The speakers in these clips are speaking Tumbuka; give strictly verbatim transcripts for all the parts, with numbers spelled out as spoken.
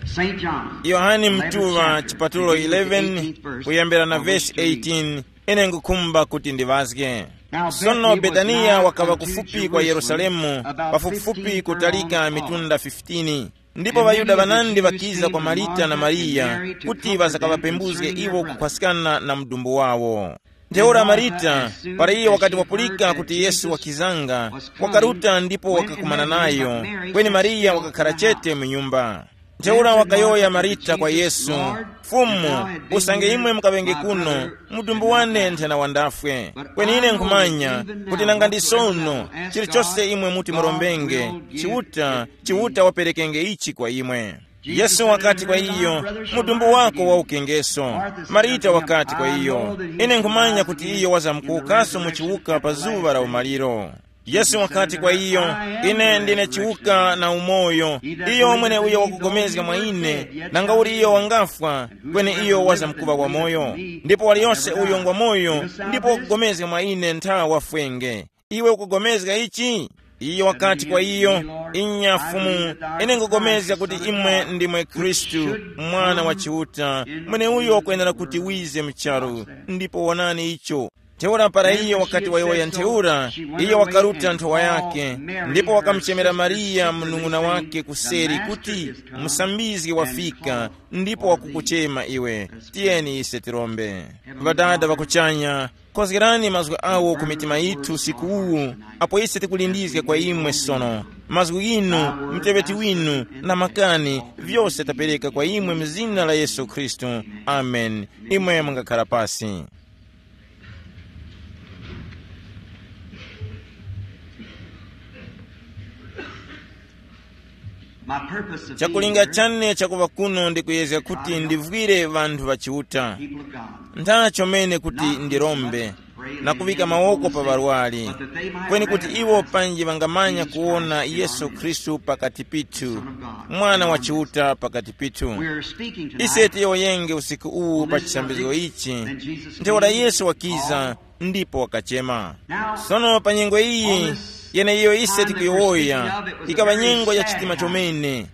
Saint John. Yohane Mtuŵa chipatulo eleven, kuyambira na vesi eighteen. Ine ngukhumba kuti ndiŵazge. Sono Betaniya wakaŵa kufupi kwa Yerusalemu, pafupifupi kutalika mitunda fifteen. Ndipo ŵaYuda ŵanandi ŵakiza kwa Marita na Mariya kuti ŵasakaŵapembuzge iwo kukhwaskana na mudumbu wawo. Ntheura Marita, para iyo wakati wapulika kuti Yesu wakizanga, wakaruta ndipo wakakumana nayo, kweni Mariya wakakhara chete mu nyumba. Ntheura wakayowoya Marita kwa Yesu, "Fumu, usange imwe mukaŵenge kuno, mudumbu wane nthena wandafwe. Kweni ine nkhumanya kuti nanga ndi sono, chilichose imwe muti murombenge, Chiuta, Chiuta waperekenge ichi kwa imwe." Yesu wakati kwa iyo, "Mudumbu wako wawukengeso." Marita wakati kwa iyo, "Ine nkhumanya kuti iyo wazamkuwukaso mu chiwuka pa zuŵa la umaliro." Yesu wakati kwa iyo, "Ine ndine chiwuka na umoyo. Iyo mweneuyo wakugomezga mwa ine, nanga uli iyo wangafwa, kweni iyo wazamkuŵa wamoyo. Ndipo waliyose uyo ngwa moyo ndipo wakugomezga mwa ine ntha wafwenge. Iwe ukugomezga ichi?" Iyo wakati kwa iyo, "Inya Fumu, ine ngupulikana kuti imwe ndimwe Khristu, Mwana wa Chiuta, mweneuyo wakwenera kuti wize mu charu, ndipo wonani icho." Ntheura para iyo wakati wayowoya ntheura, iyo wakaruta nthowa yake, ndipo wakamuchemera Mariya mnung'una wake kuseri kuti, "Musambizgi wafika, ndipo wakukuchema iwe. Tiyeni ise tirombe." Ŵadada ŵakuchanya, kozgerani mazgu awo ku mitima yithu usiku uwu, apo ise tikulindizga kwa imwe sono. Mazgu ghinu, muteŵeti winu, na makani, vyose tapereka kwa imwe mu zina la Yesu Khristu. Amen. Imwe mungakhala pasi. My purpose of being Chakulinga here chane chakuŵa kuno ndi kuyezga kuti ndivwire vanthu ŵa Chiuta. People of God. Ntha chomene kuti ndirombe na kuŵika mawoko pa ŵarwari, kweni kuti iwo panji ŵangamanya kuwona Yesu Khristu pakati pithu, Mwana wa Chiuta pakati pithu. Ise tiyowoyenge usiku uwu pa chisambizgo ichi, ntheura Yesu wakiza ndipo wakachema. Sono pa nyengo iyi yeneiyo ise tikuyowoya, ikaŵa nyengo ya chitima chomene.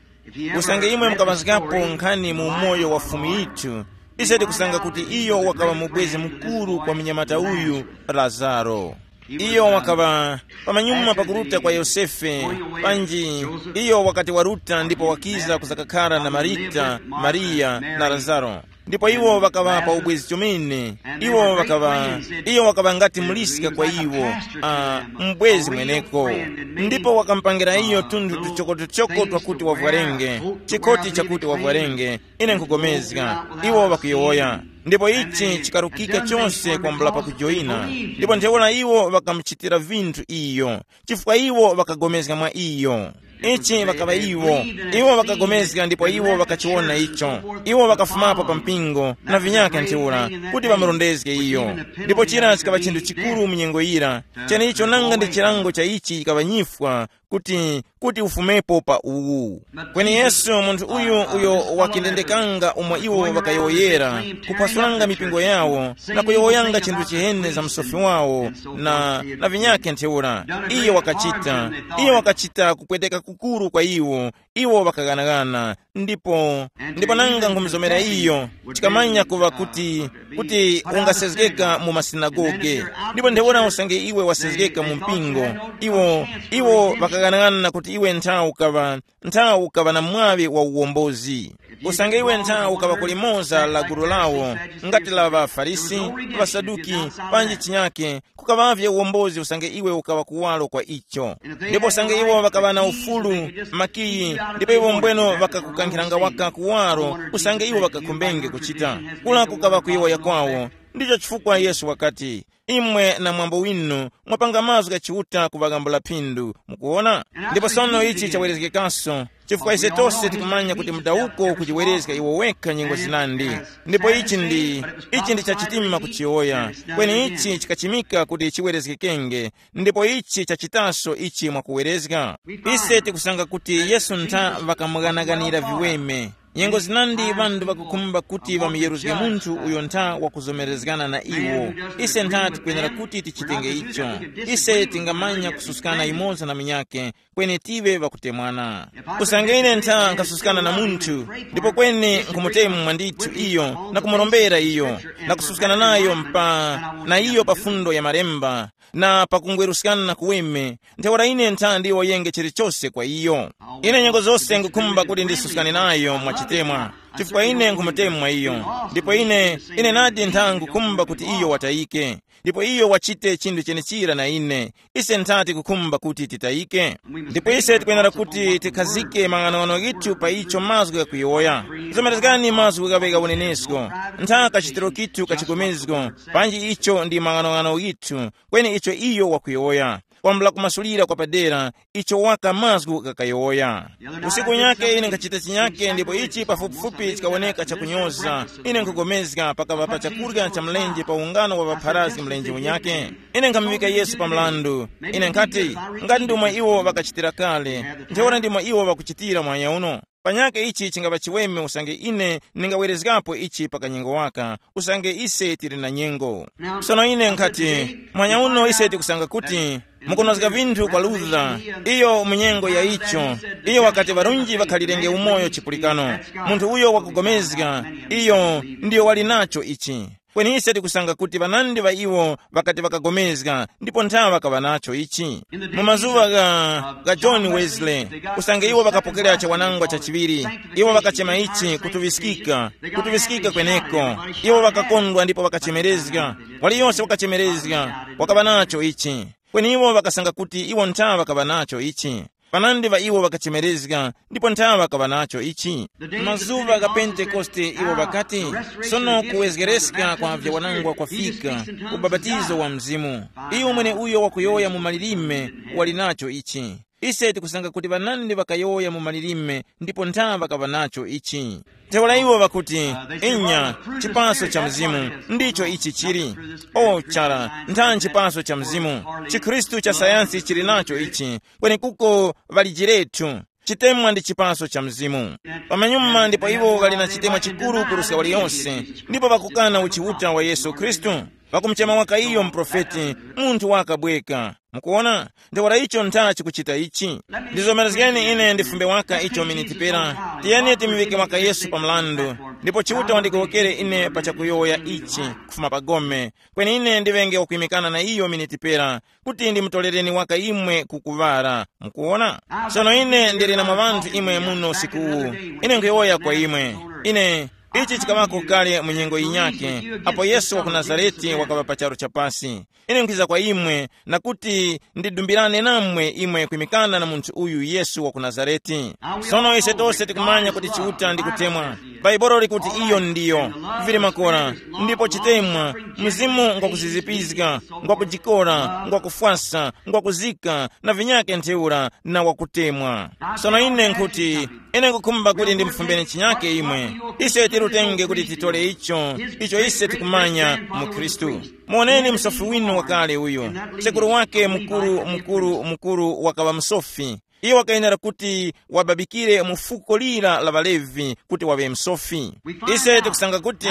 Usange imwe mukaŵazgapo nkhani mu umoyo wa Fumu yithu, ise tikusanga kuti iyo wakaŵa mubwezi mukuru kwa munyamata uyu, Lazaro. Iyo wakaŵa pamanyuma pakuruta kwa Yosefe, panji iyo wakati waruta ndipo wakiza kuzakakhara na Marita, Mariya na Lazaro. Ndipo iwo ŵakaŵa pa ubwezi chomene. Iwo ŵakaŵa, iyo wakaŵa ngati muliska kwa iwo, ah, mbwezi mweneko. Ndipo wakamupangira iyo tunthu tuchokotuchoko twakuti wavwarenge, chikoti chakuti wavwarenge, ine nkhupulikana, iwo ŵakuyowoya. Ndipo ichi chikarukika chose kwambula pakujoyina. Ndipo ntheura iwo ŵakamuchitira vinthu iyo, chifukwa iwo ŵakagomezga mwa iyo. Ichi ŵakaŵa iwo. Iwo ŵakagomezga ndipo iwo ŵakachiwona icho. Iwo ŵakafumapo pa mpingo na vinyakhe ntheura kuti ŵamurondezge iyo. Ndipo chira chikaŵa chinthu chikuru mu nyengo yira, chenicho nanga ndi chilango cha ichi chikaŵa nyifwa kuti, kuti ufumepo pa uwu. Kweni Yesu, munthu uyu uyo wakindendekanga umo iwo ŵakayowoyera, kuphasulanga mipingo yawo, na kuyowoyanga chinthu chiheni za msofi wawo, na, na vinyakhe ntheura. Iyo wakachita, iyo wakachita kupweteka kukuru kwa iwo, iwo ŵakaghanaghana, ndipo, ndipo nanga nkhumuzomera iyo, chikamanya kuŵa kuti, kuti ungasezgeka mu masinagoge, ndipo ntheura usange iwe wasezgeka mu mpingo, iwo, iwo ŵakaghanaghana kuti iwe nthawi ukaŵa, nthawi ukaŵa na mwaŵi wa uwombozi. Usange iwe nthawi ukaŵa kulimoza la gulu lawo, ngati la ŵaFarisi, ŵaSaduki, panji chinyake, kukaŵavye uwombozi usange iwe ukaŵa kuwalo kwa icho. Ndipo usange iwo ŵakaŵa na ufulu, makiyi, ndipo iwo mbweno ŵakakukankhiranga waka kuwalo, usange iwo ŵakakhumbenge kuchita. Kula kukaŵa kuyowoya kwawo. Ndicho chifukwa Yesu wakati, imwe na mwambo winu mwapanga mazgu gha Chiuta kuŵaghambula phindu. Mukuwona? Ndipo sono ichi chawerezgekanso, chifukwa ise tose tikumanya kuti mudawuko ukujiwerezga iwo wekha nyengo zinandi. Ndipo ichi ndi, ichi ndi chachitima kuchiyowoya, kweni ichi chikachimika kuti chiwerezgekenge, ndipo ichi chachitaso ichi mwakuwerezga. Ise tikusanga kuti Yesu ntha ŵakamughanaganira viweme. Nyengo zinandi ŵanthu ŵakukhumba kuti ŵamuyeruzge munthu uyo ntha wakuzomerezgana na iwo. Ise ntha tikwenera kuti tichitenge icho. Ise tingamanya kususkana yumoza na munyakhe, kweni tive ŵakutemwana. Usange ine ntha nkhasuskana na munthu, ndipo kweni nkhumutemwa ndithu iyo na kumurombera iyo, na kususkana nayo mpa na iyo pa fundo ya malemba, na pakungweruskana na kuweme, ntheura ine ntha ndiwoyenge chilichose kwa iyo. Ine nyengo zose ngukhumba kuti ndisuskane nayo mwachitemwa, chifukwa ine nkhumutemwa iyo. Ndipo ine ine nadi ntha ngukhumba kuti iyo watayike, ndipo iyo wachite chinthu chenechira na ine. Ise nthati kukhumba kuti titayike. Ndipo ise tikwenera kuti tikhazike mang'anong'ano ghithu pa icho mazgu ghakuyowoya. Zomerezgani mazgu ghaŵe gha unenesko, ntha kachitiro kithu kachigomezgo, panji icho ndi mang'anong'ano ghithu, kweni icho iyo wakuyowoya, kwambula kumasulira kwa padera icho waka mazgu ghakayowoya. Usiku unyake ine nkhachita chinyake, ndipo ichi pafupifupi chikawoneka chakunyoza. Ine nkhugomezga pakava pa chakurya cha mlenje pa ungano wa ŵapharazgi mlenje unyake. Ine nkhamuŵika Yesu pa mlandu. Ine nkhati, ngati ndimo iwo ŵakachitira kale, ntheura ndimo iwo ŵakuchitira mwanya uno. Panyakhe ichi chingapa chiweme usange ine ndingawerezgapo ichi pa kanyengo waka, usange ise tili na nyengo. Sono ine nkhati, mwanya uno ise tikusanga kuti mukunozga vinthu kwa Luther, iyo mu nyengo ya icho, iyo wakati ŵarunji ŵakhalirenge umoyo chipulikano. Munthu uyo wakugomezga, iyo ndiyo wali nacho ichi. Kweni ise tikusanga kuti ŵanandi ŵa iwo ŵakati ŵakagomezga, ndipo nthawe ŵakaŵa nacho ichi. Mu mazuŵa gha, gha John Wesley, usange iwo ŵakapokera chawanangwa chachiŵiri, iwo ŵakachema ichi kutuŵiskika, kutuŵiskika kweneko. Iwo ŵakakondwa ndipo ŵakachemerezga. Waliyose wakachemerezga, wakaŵa nacho ichi. Kweni iwo ŵakasanga kuti iwo nthawe ŵakaŵa nacho ichi. Panandi ŵa iwo ŵakachemerezga, ndipo nthawe ŵakaŵa nacho ichi. Mazuŵa gha Pentekoste iwo ŵakati, sono kuwezgereska kwa vyawanangwa kwafika, ubapatizo wa Mzimu. Iyo mwene uyo wakuyowoya mu malilime wali nacho ichi. Ise tikusanga kuti ŵanandi ŵakayowoya mu malilime ndipo nthawe ŵakaŵa nacho ichi. Ntheura iwo ŵakuti, inya, chipaso cha Mzimu, ndicho ichi chili. O chara, ntha nchipaso cha Mzimu. Chikhristu cha sayansi chili nacho ichi, kweni kuko ŵalijirethu. Chitemwa ndi chipaso cha Mzimu. Pamanyuma ndipo iwo ŵali na chitemwa chikuru kuruska waliyonse, ndipo ŵakukana uchiuta wa Yesu Khristu. Ŵakumuchema waka iyo muprofeti, munthu wakabweka. Mukuona? Ntheura icho ntha chikuchita ichi. Ndizomerezgeni ine ndifumbe waka icho miniti pera. Tiyeni timuŵike waka Yesu pa mlandu, ndipo Chiuta wandigowokere ine pa chakuyowoya ichi kufuma pa gome. Kweni ine ndiŵenge wakuyimikana na iyo miniti pera, kuti ndimutorereni waka imwe ku kuŵara. Mukuona? Sono ine ndili na mwa ŵanthu imwe muno usiku uwu. Ine nkhuyowoya kwa imwe. Ine, ichi chikaŵako kale mu nyengo yinyakhe, apo Yesu wa ku Nazarete wakaŵa pa charu cha pasi. Ine nkwiza kwa imwe, na kuti ndidumbirane namwe imwe kwimikana na munthu uyu Yesu wa ku Nazarete. Sono ise tose tikumanya kuti Chiuta ndi kutemwa. Bhaibuli likuti iyo ndiyo, vili makora, ndipo chitemwa, mzimu ngwakuzizipizga, ngwakujikora, ngwakufwasa, ngwakuzika, na vinyake ntheura, na wakutemwa. Sono ine nkhuti, ine nkukhumba kuti ndimufumbe chinyake imwe. Ise tirutenge kuti titole icho, icho ise tikumanya mu Khristu. Muoneni msofi winu wakale uyu. Sekuru wake mukuru, mukuru, mukuru wakaŵa msofi. Iyo wakayenera kuti wababikire mu fuko lira la ŵaLevi kuti waŵe msofi. Ise tikusanga kuti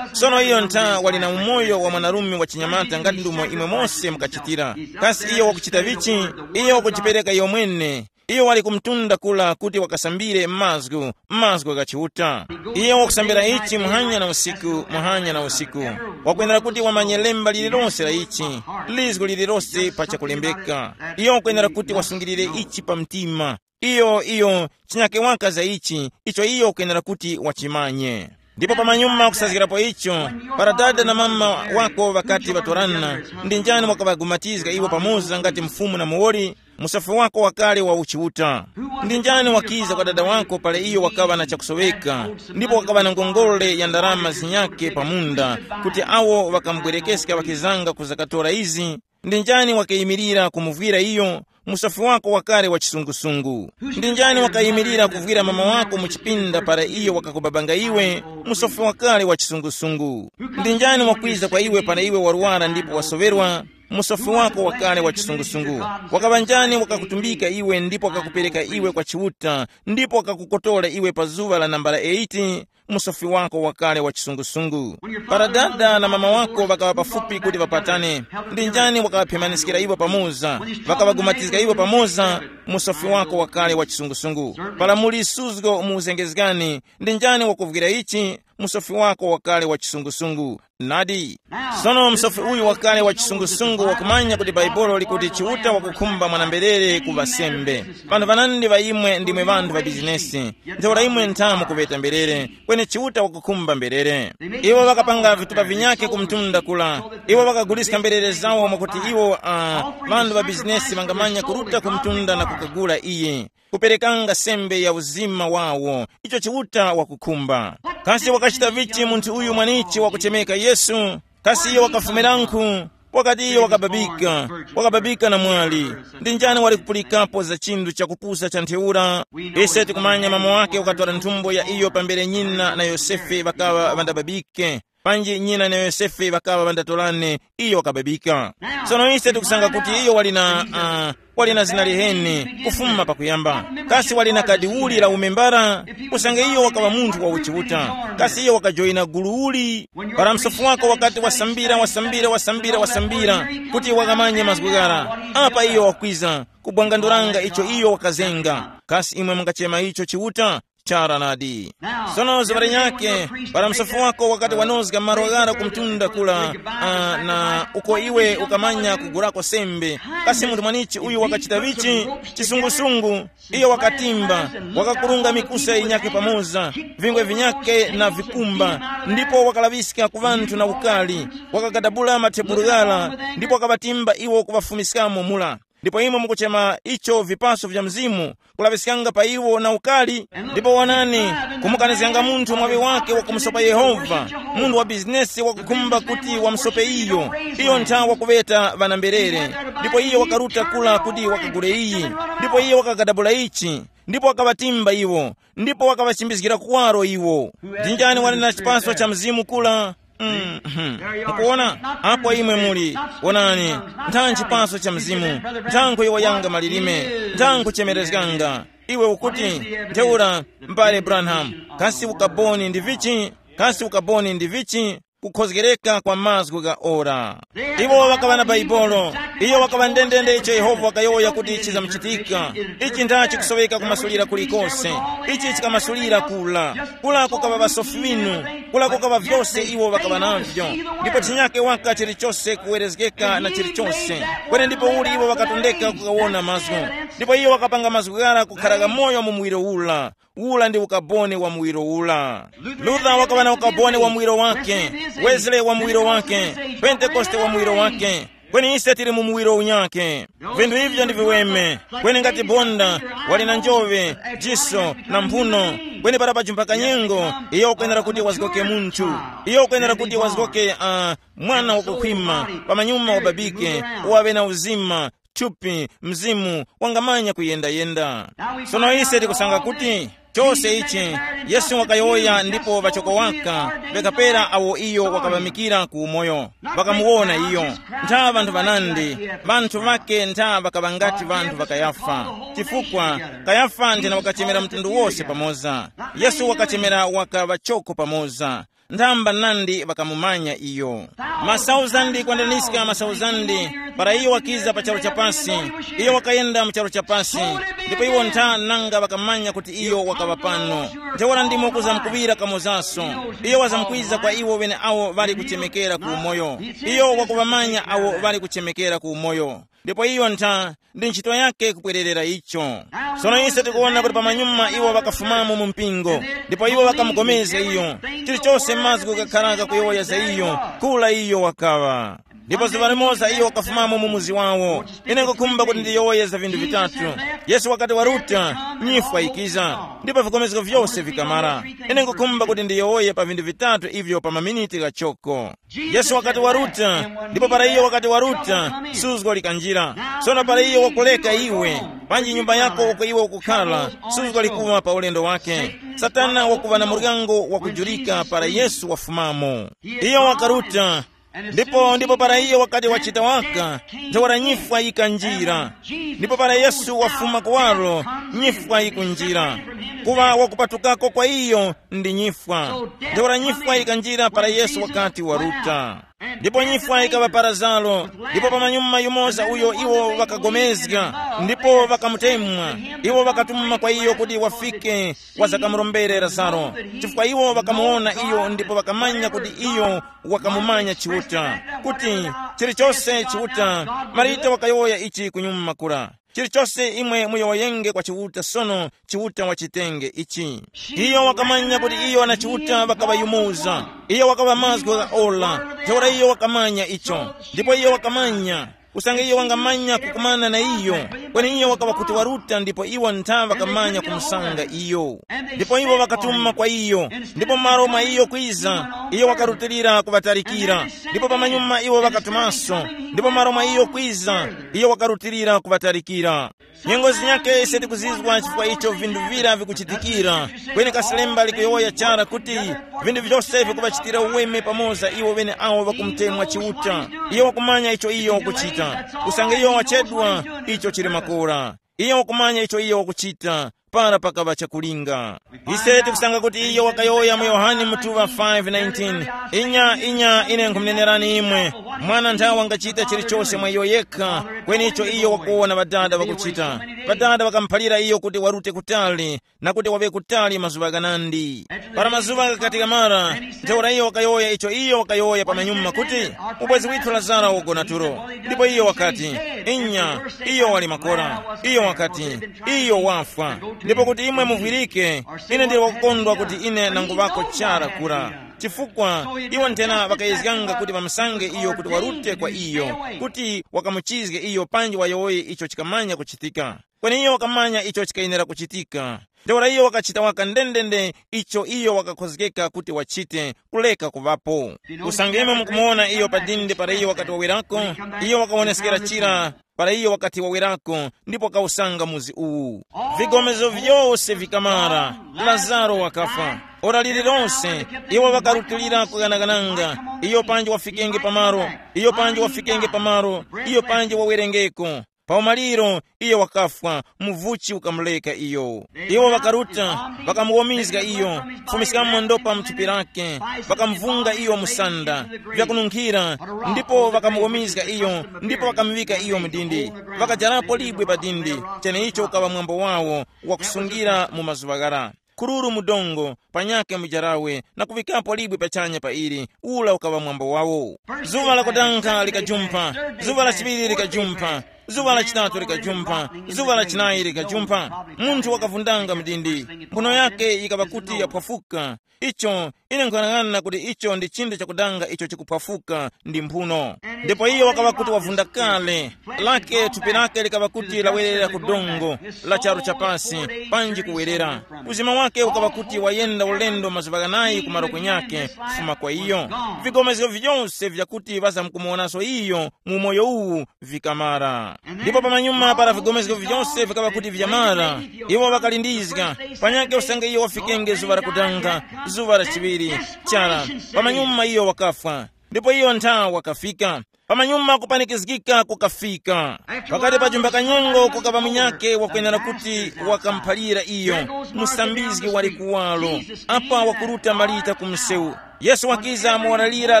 sono iyo ntha wali na umoyo wa mwanarume wa chinyamata ngati ndumo imwe mose mukachitira. Kasi iyo wakuchita vichi? Iyo wakujipereka iyo mwene. Iyo wali ku mtunda kula kuti wakasambire mazgu, mazgu gha Chiuta. Iyo wakusambira ichi muhanya na usiku, muhanya na usiku. Wakwenera kuti wamanye lemba lililonse la ichi, lizgu lililonse pa chakulembeka. Iyo wakwenera kuti wasungilire ichi pa mtima. Iyo, iyo, chinyake waka za ichi, icho iyo wakwenera kuti wachimanye. Ndipo pamanyuma kusazgirapo icho, para dada na mama wako ŵakati ŵatorana, ndi njani wakaŵagumatizga iwo pamoza ngati mfumu na muwoli? Musofi wako wakale wa uchiuta. Ndi njani wakiza kwa dada wako pale iyo wakaŵa na chakusoweka, ndipo wakaŵa na ngongole ya ndarama zinyake pa munda, kuti awo ŵakamubwerekeska ŵakizanga kuzakatora izi? Ndi njani wakayimirira kumuvwira iyo? Musofi wako wakale wa chisungusungu. Ndi njani wakayimirira kuvwira mama wako mu chipinda para iyo wakakubabanga iwe? Musofi wakale wa chisungusungu. Ndi njani wakwiza kwa iwe para iwe warwara ndipo wasoŵerwa? musofi wako wakale wa chisungusungu. Wakaŵa njani wakakutumbika iwe ndipo wakakupereka iwe kwa Chiuta, ndipo wakakukotora iwe pa zuŵa la nambala eight? Musofi wako wakale wa chisungusungu. Para dada na mama wako ŵakaŵa pafupi kuti ŵapatane, ndi njani wakaŵaphemaniskira iwo pamoza, wakaŵagumatizga iwo pamoza? Musofi wako wakale wa chisungusungu. Para muli suzgo mu uzengezgani, ndi njani wakuvwira ichi? Musofi wako wakale wa chisungusungu. Nadi. Sono msofi uyu wakale wa chisungusungu wakumanya kuti Bhaibuli likuti Chiuta wakukhumba mwanamberere ku ŵasembe. Vanthu vanandi ŵa imwe ndimwe vanthu va bizinesi. Ntheura imwe nthamu kuŵeta mberere, kweni Chiuta wakukhumba mberere. Iwo ŵakapanga vitupa vinyakhe ku mtunda kula. Iwo ŵakaguliska mberere zawo mwakuti iwo, uh, vanthu va bizinesi ŵangamanya kuruta ku mtunda na kukagula iyi, kuperekanga sembe ya uzima wawo, icho Chiuta wakukhumba. Kasi wakachita vichi munthu uyu mwanichi wakuchemeka Yesu? Kasi iyo wakafumirankhu? Wakati iyo wakababika, wakababika na mwali. Ndi njani wali kupulikapo za chinthu chakupusa cha ntheura? Ise tikumanya mama wake wakatwala nthumbo ya iyo pambere nyina na Yosefe ŵakaŵa ŵandababike. Panji nyina na Yosefe ŵakaŵa ŵandatolane, iyo wakababika. Sono ise tikusanga kuti iyo wali na, uh, wali na zina liheni kufuma pakuyamba. Kasi wali na kadi uli la umembara? Usange iyo wakaŵa munthu wa uchiuta, kasi iyo wakajoyina gulu uli? Para msofu wako wakati wasambira, wasambira, wasambira, wasambira, kuti wakamanye mazgu ghara, apa iyo wakwiza kubwanganduranga icho iyo wakazenga. Kasi imwe mungachema icho chiuta? Chara nadi. Sono zuŵa linyakhe, para msofu wako wakati wanozga malo ghara ku mtunda kula, ah, na uko iwe ukamanya kugurako sembe, kasi munthu mwanichi uyu wakachita vichi? Chisungusungu. Iyo wakatimba, wakakurunga mikusa yinyakhe pamoza, vingwe vinyakhe na vikumba, ndipo wakalaŵiska ku ŵanthu na ukali, wakagadabula mathebulu ghara, ndipo wakaŵatimba iwo kuŵafumiskamo mula. Ndipo imwe mukuchema icho vipaso vya Mzimu, kulaŵiskanga pa iwo na ukali. Ndipo wonani, kumukanizganga munthu mwaŵi wake wakumusopa Yehova, munthu wa bizinesi wakukhumba kuti wamusope iyo, iyo ntha wakuŵeta ŵanamberere. Ndipo iyo wakaruta kula kuti wakagule iyi, ndipo iyo wakagadabula ichi, ndipo wakaŵatimba iwo, ndipo wakaŵachimbizgira kuwaro iwo. Ndi njani wali na chipaso cha Mzimu kula? Mm, mhm. Mukuwona? Apo imwe muli. Wonani, ntha nchipaso cha Mzimu, ntha nkhuyowoyanga malilime, ntha nkhuchemerezganga. Iwe ukuti, ntheura, m'bale Branham, kasi ukaboni ndi vichi? Kasi ukaboni ndi vichi? Kukhozgereka kwa mazgu gha ora. Iwo ŵakaŵa na Baibolo. Iyo wakaŵa ndendende icho Yehova wakayowoya kuti chizamuchitika. Ichi ntha chikusoweka kumasulira kulikose. Ichi chikamasulira kula. Kula kukaŵa ŵasofi ŵinu. Kula kukaŵa vyose iwo ŵakaŵa navyo. Ndipo chinyake waka chilichose kuwerezgeka na chilichose. Kweni ndipo uli iwo ŵakatondeka kukawona mazgu. Ndipo iyo wakapanga mazgu ghara kukhara ghamoyo mu muwiro ula. Ula ndi ukaboni wa muwiro ula. Luther wakaŵa na ukaboni wa muwiro wake, Wesley wa muwiro wake, Pentekoste wa muwiro wake. Kweni ise tili mu muwiro unyake. Vinthu ivyo ndi viweme. Kweni ngati bonda wali na njove, jiso na mphuno, kweni para pajumpa kanyengo, iyo ukwenera kuti wazgoke munthu. Iyo ukwenera kuti wazgoke, uh, mwana wakukhwima, pamanyuma wababike, uwaŵe na uzima, thupi, mzimu, wangamanya kuyendayenda. Sono ise tikusanga kuti chose ichi Yesu wakayowoya ndipo ŵachoko waka ŵekapera awo iyo wakaŵamikira ku umoyo, ŵakamuwona iyo. Ntha ŵanthu ŵanandi, ŵanthu ŵake ntha ŵakaŵa ngati ŵanthu ŵa Kayafa. Chifukwa Kayafa nthena wakachemera mtundu wose pamoza. Yesu wakachemera waka ŵachoko pamoza. Nthamba nandi ŵakamumanya iyo. Masauzandi kwandaniska masauzandi, para iyo wakiza pa charu cha pasi, iyo wakayenda mu charu cha pasi, ndipo iwo ntha nanga ŵakamanya kuti iyo wakaŵa pano. Ntheura ndimo kuzamkuŵira kamozaso. Iyo wazamkwiza kwa iwo ŵeneawo ŵali kuchemekera ku umoyo. Iyo wakuŵamanya awo ŵali kuchemekera ku umoyo. Ndipo iyo ntha ndi ntchito yake kupwererera icho. Sono ise tikuwona kuti pamanyuma iwo ŵakafumamo mu mpingo, ndipo iwo ŵakamupulikana iyo. Chilichose mazgu gakhala kakuyowoya za iyo, kula iyo wakaŵa. Ndipo zuŵa limoza iyo wakafumamo mu muzi wawo. Ine nkukhumba kuti ndiyowoye za vinthu vitatu. Yesu wakati waruta, nyifwa yikiza, ndipo vikomezgo vyose vikamara. Ine nkukhumba kuti ndiyowoye pa vinthu vitatu ivyo pa maminiti ghachoko. Yesu wakati waruta, ndipo para iyo wakati waruta, suzgo likanjira. Sono para iyo wakuleka iwe, panji nyumba yako uko iwe ukukhala, suzgo likuŵa pa ulendo wake. Satana wakuŵa na muryango wakujurika para Yesu wafumamo. Iyo wakaruta, Ndipo ndipo para iyo wakati wachita waka, ntheura nyifwa yikanjira. Ndipo para Yesu wafuma kuwaro, nyifwa yikunjira. Kuŵa wakupatukako kwa iyo ndi nyifwa. Ntheura nyifwa yikanjira para Yesu wakati waruta. Ndipo nyifwa yikaŵa pa Lazaro, ndipo pamanyuma yumoza uyo iwo ŵakagomezga, ndipo ŵakamutemwa. Iwo ŵakatuma kwa iyo kuti wafike wazakamurombere Lazaro, chifukwa iwo ŵakamuwona iyo ndipo ŵakamanya kuti iyo wakamumanya Chiuta, kuti chilichose Chiuta. Marita wakayowoya ichi kunyuma kura. Chilichose imwe muyowoyenge kwa Chiuta sono, Chiuta wachitenge ichi. Iyo wakamanya kuti iyo na Chiuta ŵakaŵayumuza. Iyo wakaŵa mazgu gha ola. Ntheura iyo wakamanya icho, ndipo iyo wakamanya usange iyo wangamanya kukumana na iyo, kweni iyo wakaŵa kuti waruta ndipo iwo ntha ŵakamanya kumusanga iyo. Ndipo iwo ŵakatuma kwa iyo, ndipo malo mwa iyo kwiza, iyo wakarutilira kuŵatalikira. Ndipo pamanyuma iwo ŵakatumaso, ndipo malo mwa iyo kwiza, iyo wakarutilira kuŵatalikira. Nyengo zinyakhe ise tikuzizwa chifukwa icho vinthu vira vikuchitikira. Kweni kaselemba likuyowoya chara kuti vinthu vyose vikuŵachitira uweme pamoza iwo ŵeneawo ŵakumutemwa Chiuta. Iyo wakumanya icho iyo wakuchita. Usange iyo wachedwa, icho chili makora. Iyo wakumanya icho iyo wakuchita. Para pakaŵa chakulinga, ise tikusanga kuti iyo wakayowoya mu Yohane mutuŵa five nineteen, inya inya ine nkhumunenerani imwe, mwana nthawe wangachita chilichose mwa iyo yekha, kweni icho iyo wakuwona ŵadada ŵakuchita. Ŵadada ŵakamuphalira iyo kuti warute kutali, na kuti waŵe kutali mazuŵa ghanandi. Para mazuŵa ghakati ghamara, ntheura iyo wakayowoya icho iyo wakayowoya pamanyuma kuti, ubwezi withu Lazaro wagona tulo. Ndipo iyo wakati, inya, iyo wali makora. Iyo wakati, iyo wafwa. Ndipo kuti imwe muvwirike, ine ndili wakukondwa kuti ine nanguŵako chara kura. Chifukwa iwo nthena ŵakayezganga kuti ŵamusange iyo kuti warute kwa iyo, kuti wakamuchizge iyo panji wayowoye icho chikamanya kuchitika. Kweni iyo wakamanya icho chikayenera kuchitika. Ntheura iyo wakachita waka ndendende icho iyo wakakhozgeka kuti wachite, kuleka kuŵapo. Usange imwe mukumuwona iyo pa dindi para iyo wakati wawerako, iyo wakawoneskera chira para iyo wakati wawerako, ndipo wakawusanga muzi uwu. Vigomezo vyose vikamara, Lazaro wakafwa. Ora lililonse, iwo ŵakarutilira kuganagananga, iyo panji wafikenge pamaro, iyo panji wafikenge pamaro, iyo panji wawerengeko. Pa umaliro, iyo wakafwa, muvuchi ukamuleka iyo. Iwo ŵakaruta, ŵakamuwomizga iyo, kufumiskamo ndopa mu thupi lake, ŵakamuvunga iyo musanda, vyakununkhira, ndipo ŵakamuwomizga iyo, ndipo ŵakamuŵika iyo mu dindi. Ŵakajarapo libwe pa dindi, cheneicho ukaŵa mwambo wawo wakusungira mu mazuŵa ghara. Kururu mu dongo, panyakhe mujarawe, na kuŵikapo libwe pachanya pa ili, ula ukaŵa mwambo wawo. Zuŵa lakutankha likajumpha, zuŵa lachiŵiri likajumpha, zuŵa lachitatu likajumpha, zuŵa lachinayi likajumpha. Munthu wakavundanga mdindi, mphuno yake yikaŵa kuti yaphwafuka. Icho, ine nkuyang'ana kuti icho ndi chinthu chakudanga icho chikuphwafuka ndi mphuno. Ndipo iyo wakaŵa kuti wavunda kale, lake thupi lake likaŵa kuti lawerera ku dongo la charu chapasi, panji kuwerera. Uzima wake ukaŵa kuti wayenda ulendo mazuŵa ghanayi ku malo kunyake kufuma kwa iyo. Vigomezgo vyose vyakuti ŵazamkumuwonaso iyo mu umoyo uwu vikamara. Ndipo pamanyuma para vigomezgo vyose vikaŵa kuti vyamara, iwo ŵakalindizga, panyakhe usange iyo wafikenge zuŵa lakutanga, zuŵa lachiŵiri, chara, pamanyuma iyo wakafwa. Ndipo iyo ntha wakafika. Pamanyuma kupanikizgika kukafika. Pakati pa jumba kanyengo kukaŵa munyakhe wakwenera kuti wakamuphalira iyo, musambizgi wali kuwalo. Apa wakuruta Marita ku msewu. Yesu wakiza mu ora lira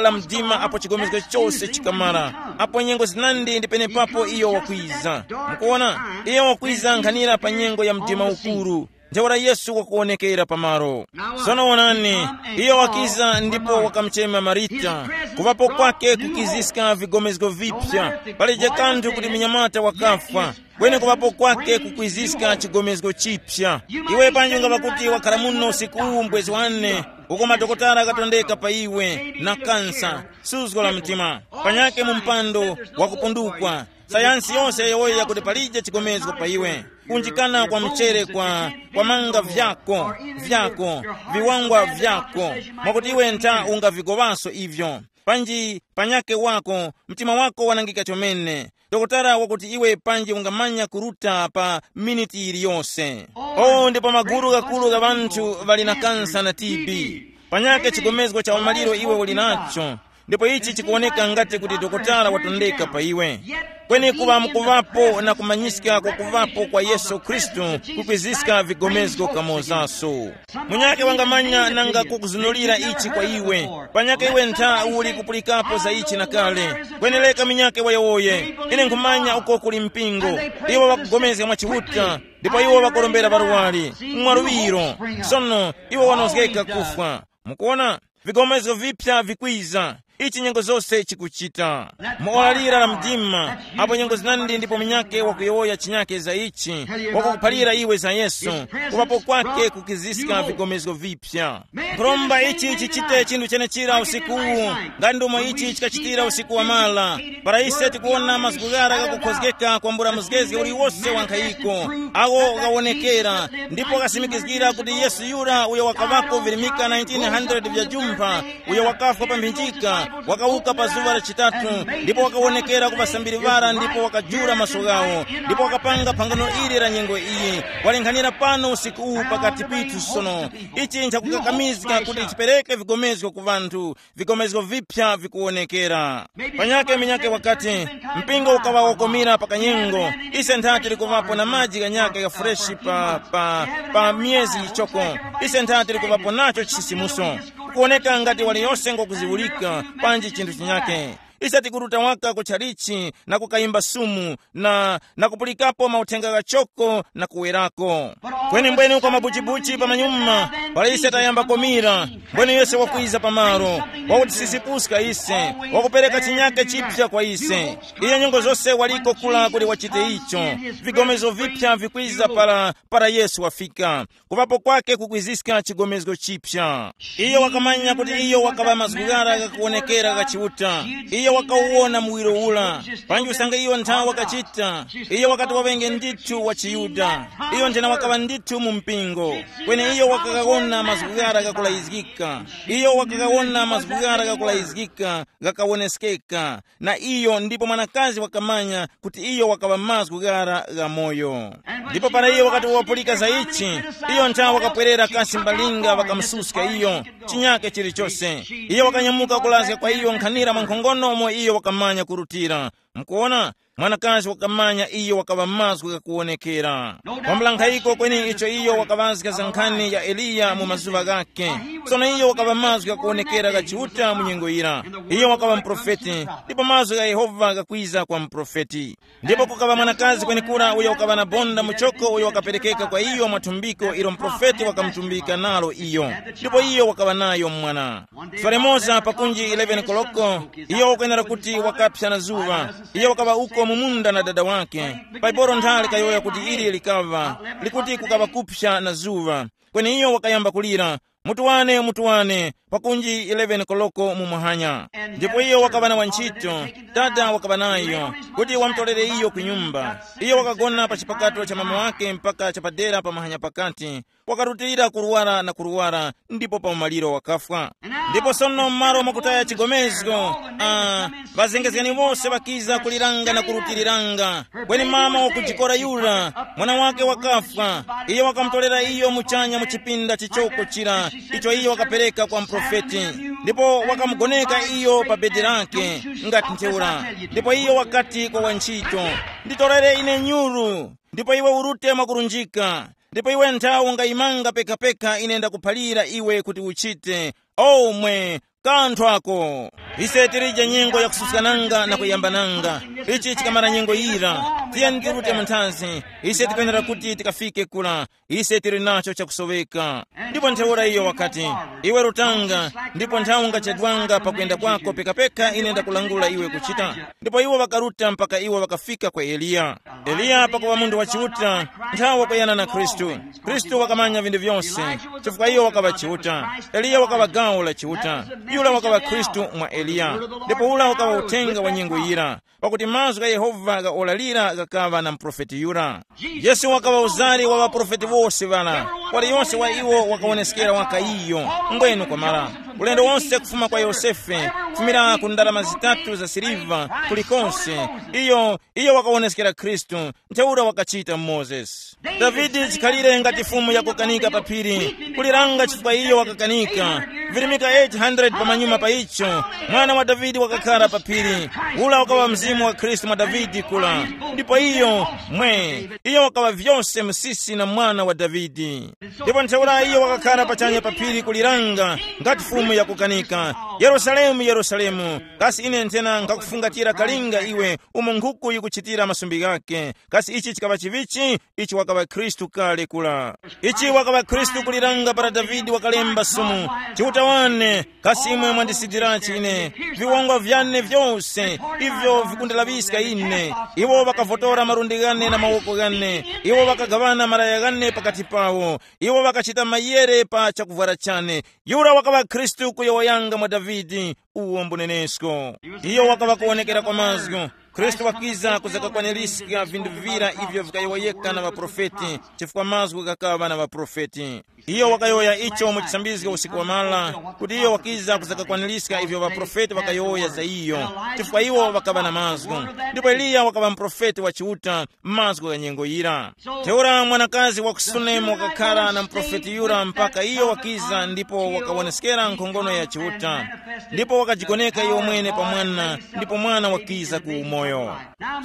la mdima apo chigomezgo chose chikamara. Apo nyengo zinandi ndi penepapo iyo wakwiza. Mukuona, iyo wakwiza nkhanira pa nyengo ya mdima ukuru. Ntheura Yesu wakuwonekera pamaro. Sono wonani, iyo wakiza ndipo wakamuchema Marita. Kuŵapo kwake kukiziska vigomezgo vipya. Palije kanthu kuti munyamata wakafwa. Kweni kuŵapo kwake kukwiziska chigomezgo chipya. Iwe panji ungaŵa kuti wakhala muno usiku uwu mbwezi wane, uko madokotala akatondeka pa iwe na kansa, suzgo la mtima, panyake mu mpando wakupundukwa. Sayansi yose yayowoya kuti palije chigomezgo pa iwe. Kunjikana kwa mchere kwa, kwa manga vyako, vyako, viwangwa vyako, mwakuti iwe ntha ungavigowaso ivyo. Panji panyake wako, mtima wako wanangika chomene. Dokotala wakuti iwe panji ungamanya kuruta pa miniti yiliyose. O, ndipo magulu ghakulu gha ŵanthu ŵali na kansa na T B. Panyake chigomezgo cha umaliro iwe uli nacho. Ndipo ichi chikuwoneka ngati kuti dokotala watondeka pa iwe. Kweni kuŵa mukuvapo na kumanyiska kwa kuvapo kwa Yesu Khristu kukwiziska vigomezgo kamozaso. Munyake wangamanya nanga kukuzunulira ichi kwa iwe. Panyake iwe ntha uli kupulikapo za ichi na kale. Kwenereka munyake wayowoye. Ine nkhumanya uko kuli mpingo. Iwo ŵakugomezga mwa Chiuta, ndipo iwo ŵakorombera ŵarwari mwaluŵiro. Sono iwo wanozgeka kufwa. Mukuona, vigomezgo vipya vikwiza. Ichi nyengo zose chikuchita mu ora lira la mdima, apo nyengo zinandi ndipo munyake wakuyowoya chinyake za ichi, wakukuphalira iwe za Yesu, kupapo kwake kukiziska vigomezgo vipya. Nkhuromba ichi chichite chinthu chenechira usiku uwu, ngati ndomo ichi chikachitira usiku wamala. Para ise tikuwona mazgu ghara ghakukhozgeka kwambula muzgezge uliwose wa nkhayiko, awo ghawonekera, ndipo ghasimikizgira kuti Yesu yura uyo wakaŵako virimika nineteen hundred vya jumpha, uyo wakafwa pa mphinjika, wakawuka pa zuŵa la chitatu, ndipo wakawonekera ku ŵasambiri ŵara ndipo wakajula maso ghawo, ndipo wakapanga phangano ili la nyengo iyi. Walinghanira pano usiku uwu pakati pithu sono. Ichi nchakukakamizga kuti chipereke vigomezgo ku vanthu, vigomezgo vipya vikuwonekera. Panyake minyake wakati, mpingo ukaŵa wokomera pa kanyengo. Ise ntha tili kuŵapo na maji ghanyaka gha freshi pa, pa, pa miyezi yichoko. Ise ntha tili kuŵapo nacho chisisimuso. Kukuwoneka ngati waliyose ngokuziwulika panji chinthu chinyake. Ise tikuruta waka ku tchalichi na kukayimba sumu na, na kupulikapo mauthenga ghachoko na kuwerako. Kweni mbwene kwa mabuchibuchi pamanyuma, para ise tayamba komira, mbwene yose wakwiza pamalo, wakutisisipuska ise, wakupereka chinyake chipya kwa ise. Iyo nyengo zose waliko kula kuti wachite icho. Vigomezo vipya vikwiza para, para Yesu wafika. Kupapo kwake kukwiziska chigomezgo chipya. Iyo wakamanya kuti iyo wakaŵa mazgu ghara ghakuwonekera gha Chiuta. Iyo wakawuwona muwiro ula. Panji usange iyo nthawe wakachita, iyo wakati waŵenge ndithu wa chiYuda. Iyo nthena wakaŵa ndithu mu mpingo. Kweni iyo wakagawona mazgu ghara ghakulayizgika. Iyo wakagawona mazgu ghara ghakulayizgika ghakawoneskeka. Na iyo ndipo mwanakazi wakamanya kuti iyo wakaŵa mazgu ghara ghamoyo. Ndipo para iyo wakati wapulika za ichi, iyo nthawe wakapwerera kasi mbalinga wakamususka iyo chinyake chilichose. Iyo wakanyamuka kulazga kwa iyo nkhanira mwa nkhongono umo iyo wakamanya kurutira. Mukuona, mwanakazi wakamanya iyo wakaŵa mazgu ghakuwonekera. Kwambula nkhayiko kweni icho iyo wakaŵazga za nkhani ya Eliya mu mazuŵa ghake. Sono iyo wakaŵa mazgu ghakuwonekera gha Chiuta mu nyengo yira. Iyo wakaŵa muprofeti, ndipo mazgu gha Yehova ghakwiza kwa muprofeti. Ndipo kukaŵa mwanakazi kwenekura uyo wakaŵa na bonda muchoko uyo wakaperekeka kwa iyo mwa thumbiko ilo muprofeti wakamutumbika nalo iyo. Ndipo iyo wakaŵa nayo mwana. Falemoza pakunji eleven koloko, iyo wakwenera kuti wakapsa na zuŵa. Iyo wakaŵa uko mu munda na dada wake. Bhaibuli nthali kayowoya kuti ili likaŵa likuti kukaŵa kupsa na zuŵa. Kweni iyo wakayamba kulira, mutuwane, mutuwane, pakunji eleven koloko mu muhanya. Ndipo iyo wakaŵa na wantchito, dada wakaŵa nayo, kuti wamutolere iyo ku nyumba. Iyo wakagona pa chipakato cha mama wake mpaka chapadera pa muhanya pakati, wakarutilira kurwara na kurwara, ndipo pa umaliro wakafwa. Ndipo sono m'malo mwakutaya chigomezgo, ah, ŵazengezgani wose ŵakiza kuliranga na kurutiliranga. Kweni mama wakujikora yura, mwana wake wakafwa. Iyo wakamutolera iyo muchanya mu chipinda chichoko chira, icho iyo wakapereka kwa muprofeti. Ndipo wakamugoneka iyo pa bedi lake, ngati ntheura. Ndipo iyo wakati kwa wantchito, nditorere ine nyuru, ndipo iwe urute mwakurunjika. Ndipo iwe nthawe ungayimanga pekapeka ine ndakuphalira iwe kuti uchite. Omwe, kanthu ako. Ise tilije nyengo yakususkananga na kuyambananga. Ichi chikamara nyengo yira, tiyeni tirute mu nthazi. Ise tikwenera kuti tikafike kula. Ise tili nacho chakusoweka. Ndipo ntheura iyo wakati, iwe rutanga, ndipo nthawi ungachedwanga pakuyenda kwako pekapeka ine ndakulangula iwe kuchita. Ndipo iwo ŵakaruta mpaka iwo ŵakafika kwa Eliya. Eliya pakuŵa munthu wa Chiuta, nthawe wakuyana na Khristu. Khristu wakamanya vinthu vyose, chifukwa iyo wakaŵa Chiuta. Eliya wakaŵa gawo la Chiuta. Yura wakaŵa Khristu mwa Eliya. Ndipo ura wakaŵa uthenga wa nyengo yira, pakuti mazgu gha Yehova ghaolalira ghakaŵa na muprofeti yura. Yesu wakaŵa uzari wa ŵaprofeti wose ŵara. Waliyonse wa iwo wakawoneskera waka iyo. Mbwenu kwamara, ulendo wonse kufuma kwa Yosefe, Kufumira ku ndarama zitatu za siliva kulikonse, iyo iyo wakawoneskera Khristu. Ntheura wakachita Mozesi. Davide chikhalire ngati fumu yakukanika pa phiri, kuliranga chifukwa iyo wakakanika. Virimika eight hundred pamanyuma pa icho, mwana wa Davide wakakhala pa phiri. Ula wakawa mzimu wa Khristu mwa Davide kula. Ndipo iyo mwe iyo wakawa vyose msisi na mwana wa Davide. Ndipo ntheura iyo wakakhala pachanya pa phiri kuliranga ngati fumu yakukanika, Yerusalemu, Yerusalemu, kasi ine nthena nkhakufungatira kalinga iwe umo nkhuku yikuchitira masumbi ghake. Kasi ichi chikaŵa chivichi? Ichi wakaŵa Khristu kale kula. Ichi wakaŵa Khristu kuliranga para Davide wakalemba sumu, Chiuta wane, kasi imwe mwandisidirachi ine? Viwongwa vyane vyose ivyo vikundalaŵiska ine. Iwo ŵakavotora malundi ghane na mawoko ghane. Iwo ŵakagaŵana malaya ghane pakati pawo. Iwo ŵakachita mayere pa chakuvwara chane. Yura wakaŵa Khristu kuyowoyanga mwa Davide, uwo mbunenesko. Iyo wakaŵa kuwonekera kwa mazgu. Khristu wakiza kuzakakwaniska vinthu vira ivyo vikayowoyeka na ŵaprofeti, chifukwa mazgu ghakaŵa na ŵaprofeti. Iyo wakayowoya icho mu chisambizgo usiku wamala, kuti iyo wakiza kuzakakwaniska ivyo ŵaprofeti ŵakayowoya za iyo, chifukwa iwo ŵakaŵa na mazgu. Ndipo Eliya wakaŵa muprofeti wa Chiuta, mazgu gha nyengo yira. Ntheura mwanakazi wa ku Sunemu wakakhara na muprofeti yura mpaka iyo wakiza ndipo wakawoneskera nkhongono ya Chiuta, ndipo wakajigoneka iyo mwene pa mwana, ndipo mwana wakiza ku umoyo.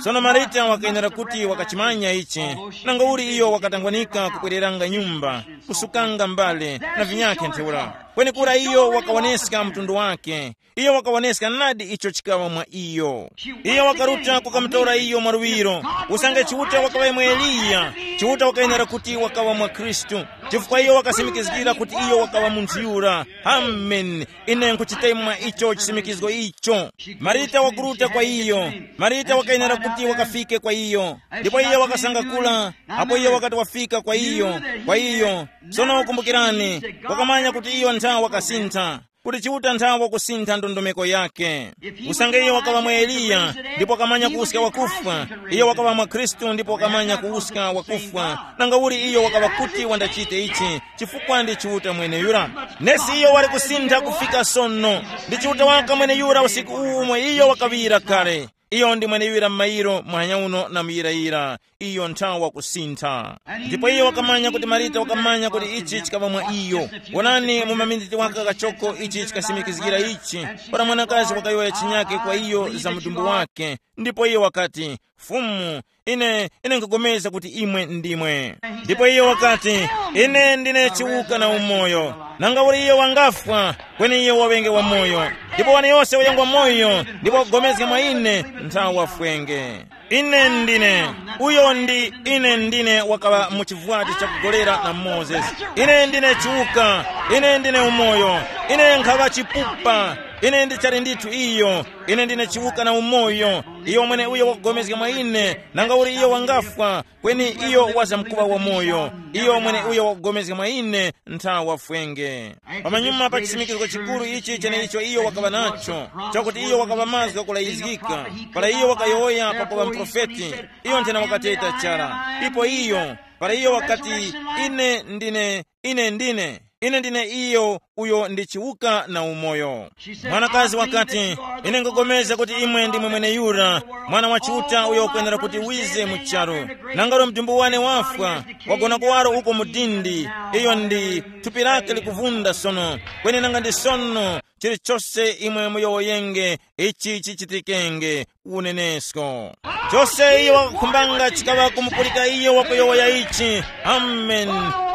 Sono Marita wakayenera kuti wakachimanya ichi, nangauli iyo wakatangwanika kubwereranga nyumba, kusukanga mbale na vinyakhe ntheura. Kwenekura iyo wakawoneska mtundu wake. Iyo wakawoneska nadi icho chikawa mwa iyo. Iyo wakaruta kukamutora iyo mwaluwiro. Usange Chiuta wakaŵa imwe Eliya, Chiuta wakayenera kuti wakaŵa mwa Khristu, chifukwa iyo wakasimikizgira kuti iyo wakaŵa munthu yura. Amen. Ine nkhuchitemwa icho chisimikizgo icho. Marita wakuruta kwa iyo. Marita wakayenera kuti wakafike kwa iyo. Ndipo iyo wakasangakula apo iyo wakati wafika kwa iyo, kwa iyo. Sono kumbukirani, wakamanya kuti iyo nthawi wakasintha, kuti Chiuta nthawi wakusintha ndondomeko yake. Usange iyo wakaŵa mwa Eliya, ndipo wakamanya kuwuska wakufwa, iyo wakaŵa mwa Khristu ndipo wakamanya kuwuska wakufwa, nangauli iyo wakaŵa kuti wandachite ichi, chifukwa ndi Chiuta mweneyura. Nesi iyo wali kusintha kufika sono. Ndi Chiuta waka mweneyura usiku uwu umwe iyo wakaŵira kale. Iyo ndi mweneyura m'mayiro muhanya uno na muyirayira. Iyo nthawi wakusintha. Ndipo iyo wakamanya kuti Marita wakamanya kuti ichi chikaŵa mwa iyo. Wonani, mu maminiti waka kachoko ichi chikasimikizgira ichi. Para mwanakazi wakayowoya chinyake kwa iyo za mudumbu wake, ndipo iyo wakati, Fumu, ine ine nkugomeza kuti imwe ndimwe. Ndipo iyo wakati, Ine ndine chiwuka na umoyo. Nanga uli iyo wangafwa, kweni iyo waŵenge wamoyo. Ndipo wani yose uyo ngwa moyo ndipo wakugomezga mwa ine, nthawi wafwenge. Ine ndine, uyo ndi ine ndine wakaŵa mu chivwati chakugolera na Mozesi. Ine ndine chiwuka, ine ndine umoyo, ine nkhaŵa chipupa, ine ndichali ndithu iyo, ine ndine chiwuka na umoyo. Iyo mwene uyo wakugomezga mwa ine, nanga uli iyo wangafwa, kweni iyo wazamkuŵa wamoyo. Iyo mwene uyo wakugomezga mwa ine, nthawi wafwenge. Pamanyuma pa chisimikizgo chikuru ichi cheneicho iyo wakaŵa nacho, chakuti iyo wakaŵa mazgu ghakulayizgika, para iyo wakayowoya pakuŵa muprofeti, iyo nthena wakateta chara. Ipo iyo, para iyo wakati, ine ndine, ine ndine, ine ndine iyo uyo ndi chiwuka na umoyo. Mwanakazi wakati, ine nkugomeza kuti imwe ndimwe mweneyura, Mwana wa Chiuta uyo ukwenera kuti wize mu charu. Nangaro mdumbu wane wafwa, wagona kuwaro uko mu dindi. Iyo ndi thupi lake likuvunda sono, kweni nanga ndi sono, chilichose imwe muyowoyenge, ichi chichitikenge. Unenesko. Chose iyo wakakhumbanga chikaŵa kumupulika iyo wakuyowoya ichi. Amen.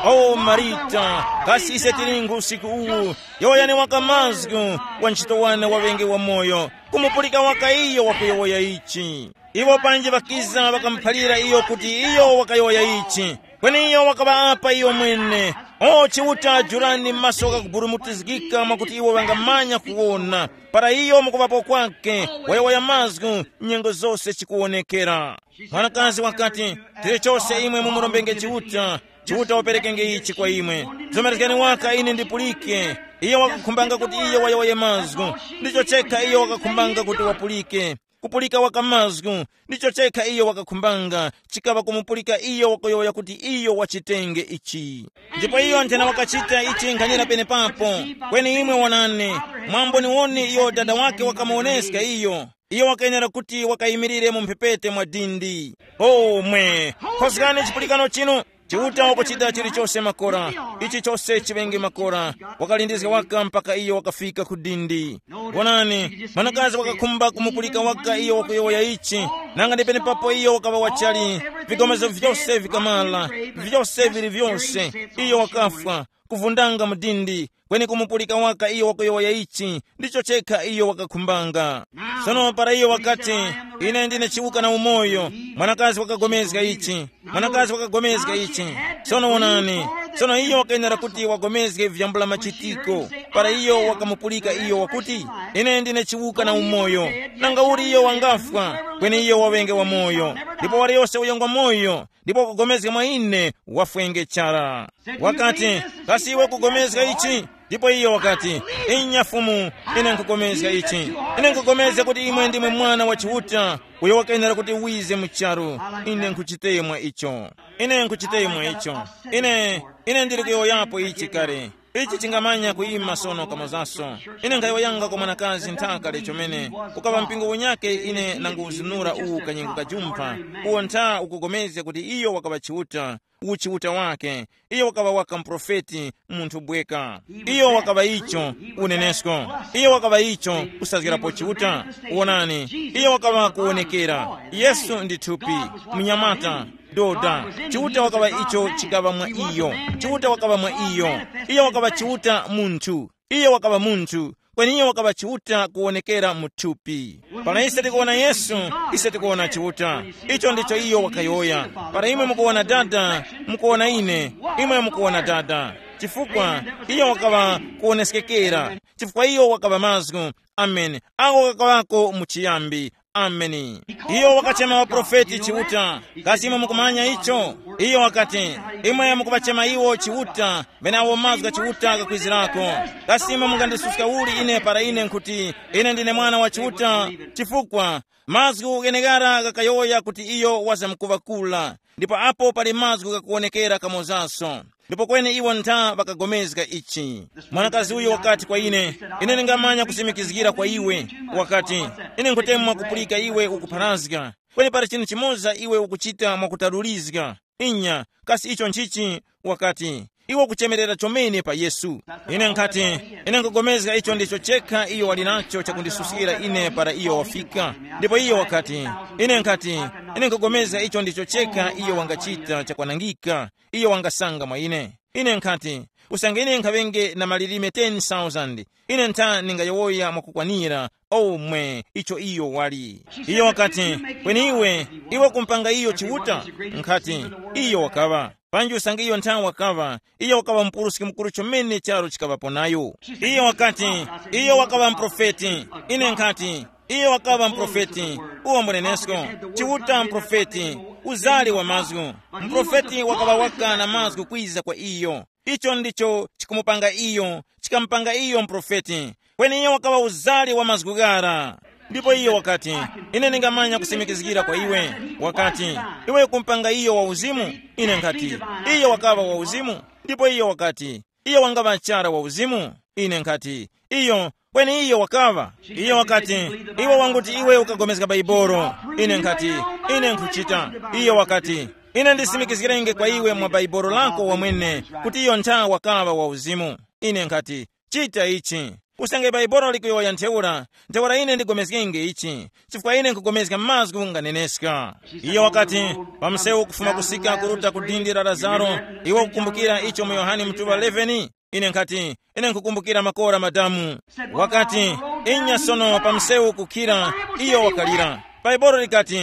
O Marita, kasi ise tilingu usiku uwu? Yowoyani waka mazgu, wa ntchito wane waŵenge wamoyo, kumupulika waka iyo wakuyowoya ichi. Iwo panji ŵakiza ŵakamuphalira iyo kuti iyo wakayowoya ichi. Kweni iyo wakaŵa apa iyo mwene. O Chiuta, jurani maso ghakuburumutizgika mwakuti iwo ŵangamanya kuwona. Para iyo mukuŵapo kwake, wayowoya mazgu, nyengo zose chikuwonekera. Mwanakazi wakati, tili chose imwe mumurombenge Chiuta, Chiuta waperekenge ichi kwa imwe. Zomerezgani waka ine ndipulike. Iyo wakakhumbanga kuti iyo wayowoye mazgu. Ndicho chekha iyo wakakhumbanga kuti wapulike. kupulika waka mazgu, ndicho chekha iyo wakakhumbanga, chikaŵa kumupulika iyo wakuyowoya kuti iyo wachitenge ichi. Ndipo iyo nthena wakachita ichi nkhanira penepapo. Kweni imwe wonani, mwamboniwoni iyo dada wake wakamuwoneska iyo. Iyo wakayenera kuti wakayimirire mu mphepete mwa dindi. Omwe, khozgani chipulikano chinu. Chiuta wakuchita chilichose makora. Ichi chose chiŵenge makora. Wakalindizga waka mpaka iyo wakafika ku dindi. Wonani, mwanakazi wakakhumba kumupulika waka iyo wakuyowoya ichi. Nanga ndi penepapo iyo wakaŵa wachali. Vigomezo vyose vikamala, vyose vili vyose. Iyo wakafwa, kuvundanga mu dindi, kweni kumupulika waka iyo wakuyowoya ichi, ndicho chekha iyo wakakhumbanga. Sono para iyo wakati, ine ndine chiwuka na umoyo, mwanakazi wakagomezga ichi. Mwanakazi wakagomezga ichi. Sono wonani, sono iyo wakayenera kuti wagomezge vyambula machitiko. Para iyo wakamupulika iyo wakuti, ine ndine chiwuka na umoyo, nanga uli iyo wangafwa, kweni iyo waŵenge wamoyo. Ndipo waliyose uyo ngwa moyo, ndipo wakugomezga mwa ine, wafwenge chara. Wakati, kasi iwe kugomezga ichi? Ndipo iyo wakati, inya Fumu, ine nkugomezga ichi. Ine nkugomezga kuti imwe ndimwe Mwana wa Chiuta, uyo wakayenera kuti wize mu charu. Ine nkhuchitemwa icho. Ine nkhuchitemwa icho. Ine, ine ndili kuyowoyapo ichi kale. Ichi chingamanya kuyima sono kamozaso. Ine nkhayowoyanga kwa mwanakazi nthaka lechomene, ukaŵa mpingo unyake ine nanguwuzunura uwu kanyengo kajumpha, uwo ntha ukugomezga kuti iyo wakaŵa Chiuta, uchiuta wake. Iyo wakaŵa waka muprofeti, munthu bweka. Iyo wakaŵa icho, unenesko. Iyo wakaŵa icho, kusazgirapo Chiuta. Wonani, iyo wakaŵa kuwonekera. Yesu ndi thupi, mnyamata, doda. Chiuta wakaŵa icho chikaŵa mwa iyo. Chiuta wakaŵa mwa iyo. Iyo wakaŵa Chiuta munthu. Iyo wakaŵa munthu, kweni iyo wakaŵa Chiuta kuwonekera mu thupi. Para ise tikuwona Yesu, ise tikuwona Chiuta. Icho ndicho iyo wakayowoya. Para imwe mukuwona Dada, mukuwona ine, imwe mukuwona Dada. Chifukwa iyo wakaŵa kuwoneskekera, chifukwa iyo wakaŵa mazgu. Ameni. Ako kakaŵako mu chiyambi. Ameni. Iyo wakachema waprofeti Chiuta. Kasi imwe mukumanya icho? Iyo wakati, imwe mukuŵachema iwo Chiuta, ŵenawo mazgu gha Chiuta ghakwizirako. Kasi imwe mungandisuska uli ine para ine nkhuti, ine ndine mwana wa Chiuta? Chifukwa mazgu gheneghara ghakayowoya kuti iyo wazamkuŵa kula. Ndipo apo pali mazgu ghakuwonekera kamozaso. Ndipo kweni iwo ntha ŵakagomezga ichi. Mwanakazi uyu wakati kwa ine, ine ndingamanya kusimikizgira kwa iwe. Wakati, ine nkhutemwa kupulika iwe ukupharazga. Kweni pali chinthu chimoza iwe ukuchita mwakutalulizga. Inya, kasi icho nchichi? Wakati, iwe ukuchemerera chomene pa Yesu. Ine nkhati, ine nkugomezga icho ndicho chekha iyo wali nacho chakundisuskira ine para iyo wafika. Ndipo iyo wakati, ine nkhati, ine nkugomezga icho ndicho chekha iyo wangachita chakwanangika. Iyo wangasanga mwa ine. Ine nkhati, usange ine nkhaŵenge na malilime ten thousand, ine ntha ndingayowoya mwakukwanira. Omwe icho iyo wali. Iyo wakati, kweni iwe, iwe kumpanga iyo Chiuta? Nkhati, iyo wakaŵa. Panji usange iyo ntha wakaŵa, iyo wakaŵa mupuruski mukuru chomene charo chikaŵapo nayo. Iyo wakati, iyo wakaŵa muprofeti. Ine nkhati, iyo wakaŵa muprofeti. Uwo mbunenesko, Chiuta muprofeti, uzali wa mazgu. Muprofeti wakaŵa waka na mazgu kwiza kwa iyo. Icho ndicho chikumupanga iyo, chikamupanga iyo muprofeti. Kweni iyo wakaŵa uzali wa mazgu ghara. Ndipo iyo wakati, ine ndingamanya kusimikizgira kwa iwe. Wakati, iwe kumpanga iyo wa uzimu? Ine nkhati, iyo wakaŵa wa uzimu. Ndipo iyo wakati, iyo wangaŵa chara wa uzimu? Ine nkhati, iyo, kweni iyo wakaŵa. Iyo wakati, iwe wanguti iwe ukapulikana Baibolo. Ine nkhati, ine nkhuchita. Iyo wakati, ine ndisimikizgirenge kwa iwe mwa Baibolo lako wamwene kuti iyo ntha wakaŵa wa uzimu. Ine nkhati, chita ichi. Usange Baibolo likuyowoya ntheura, ntheura ine ndigomezgenge ichi, chifukwa ine nkugomezga mazgu nganeneska. Iyo wakati, pa msewu kufuma kusika kuruta ku dindi la Lazaro, iwe ukukumbukira icho mu Yohane mutuŵa eleven? Ine nkhati, ine nkhukumbukira makora madamu. Wakati, inya sono pa msewu kukhira, iyo wakalira. Baibolo likati,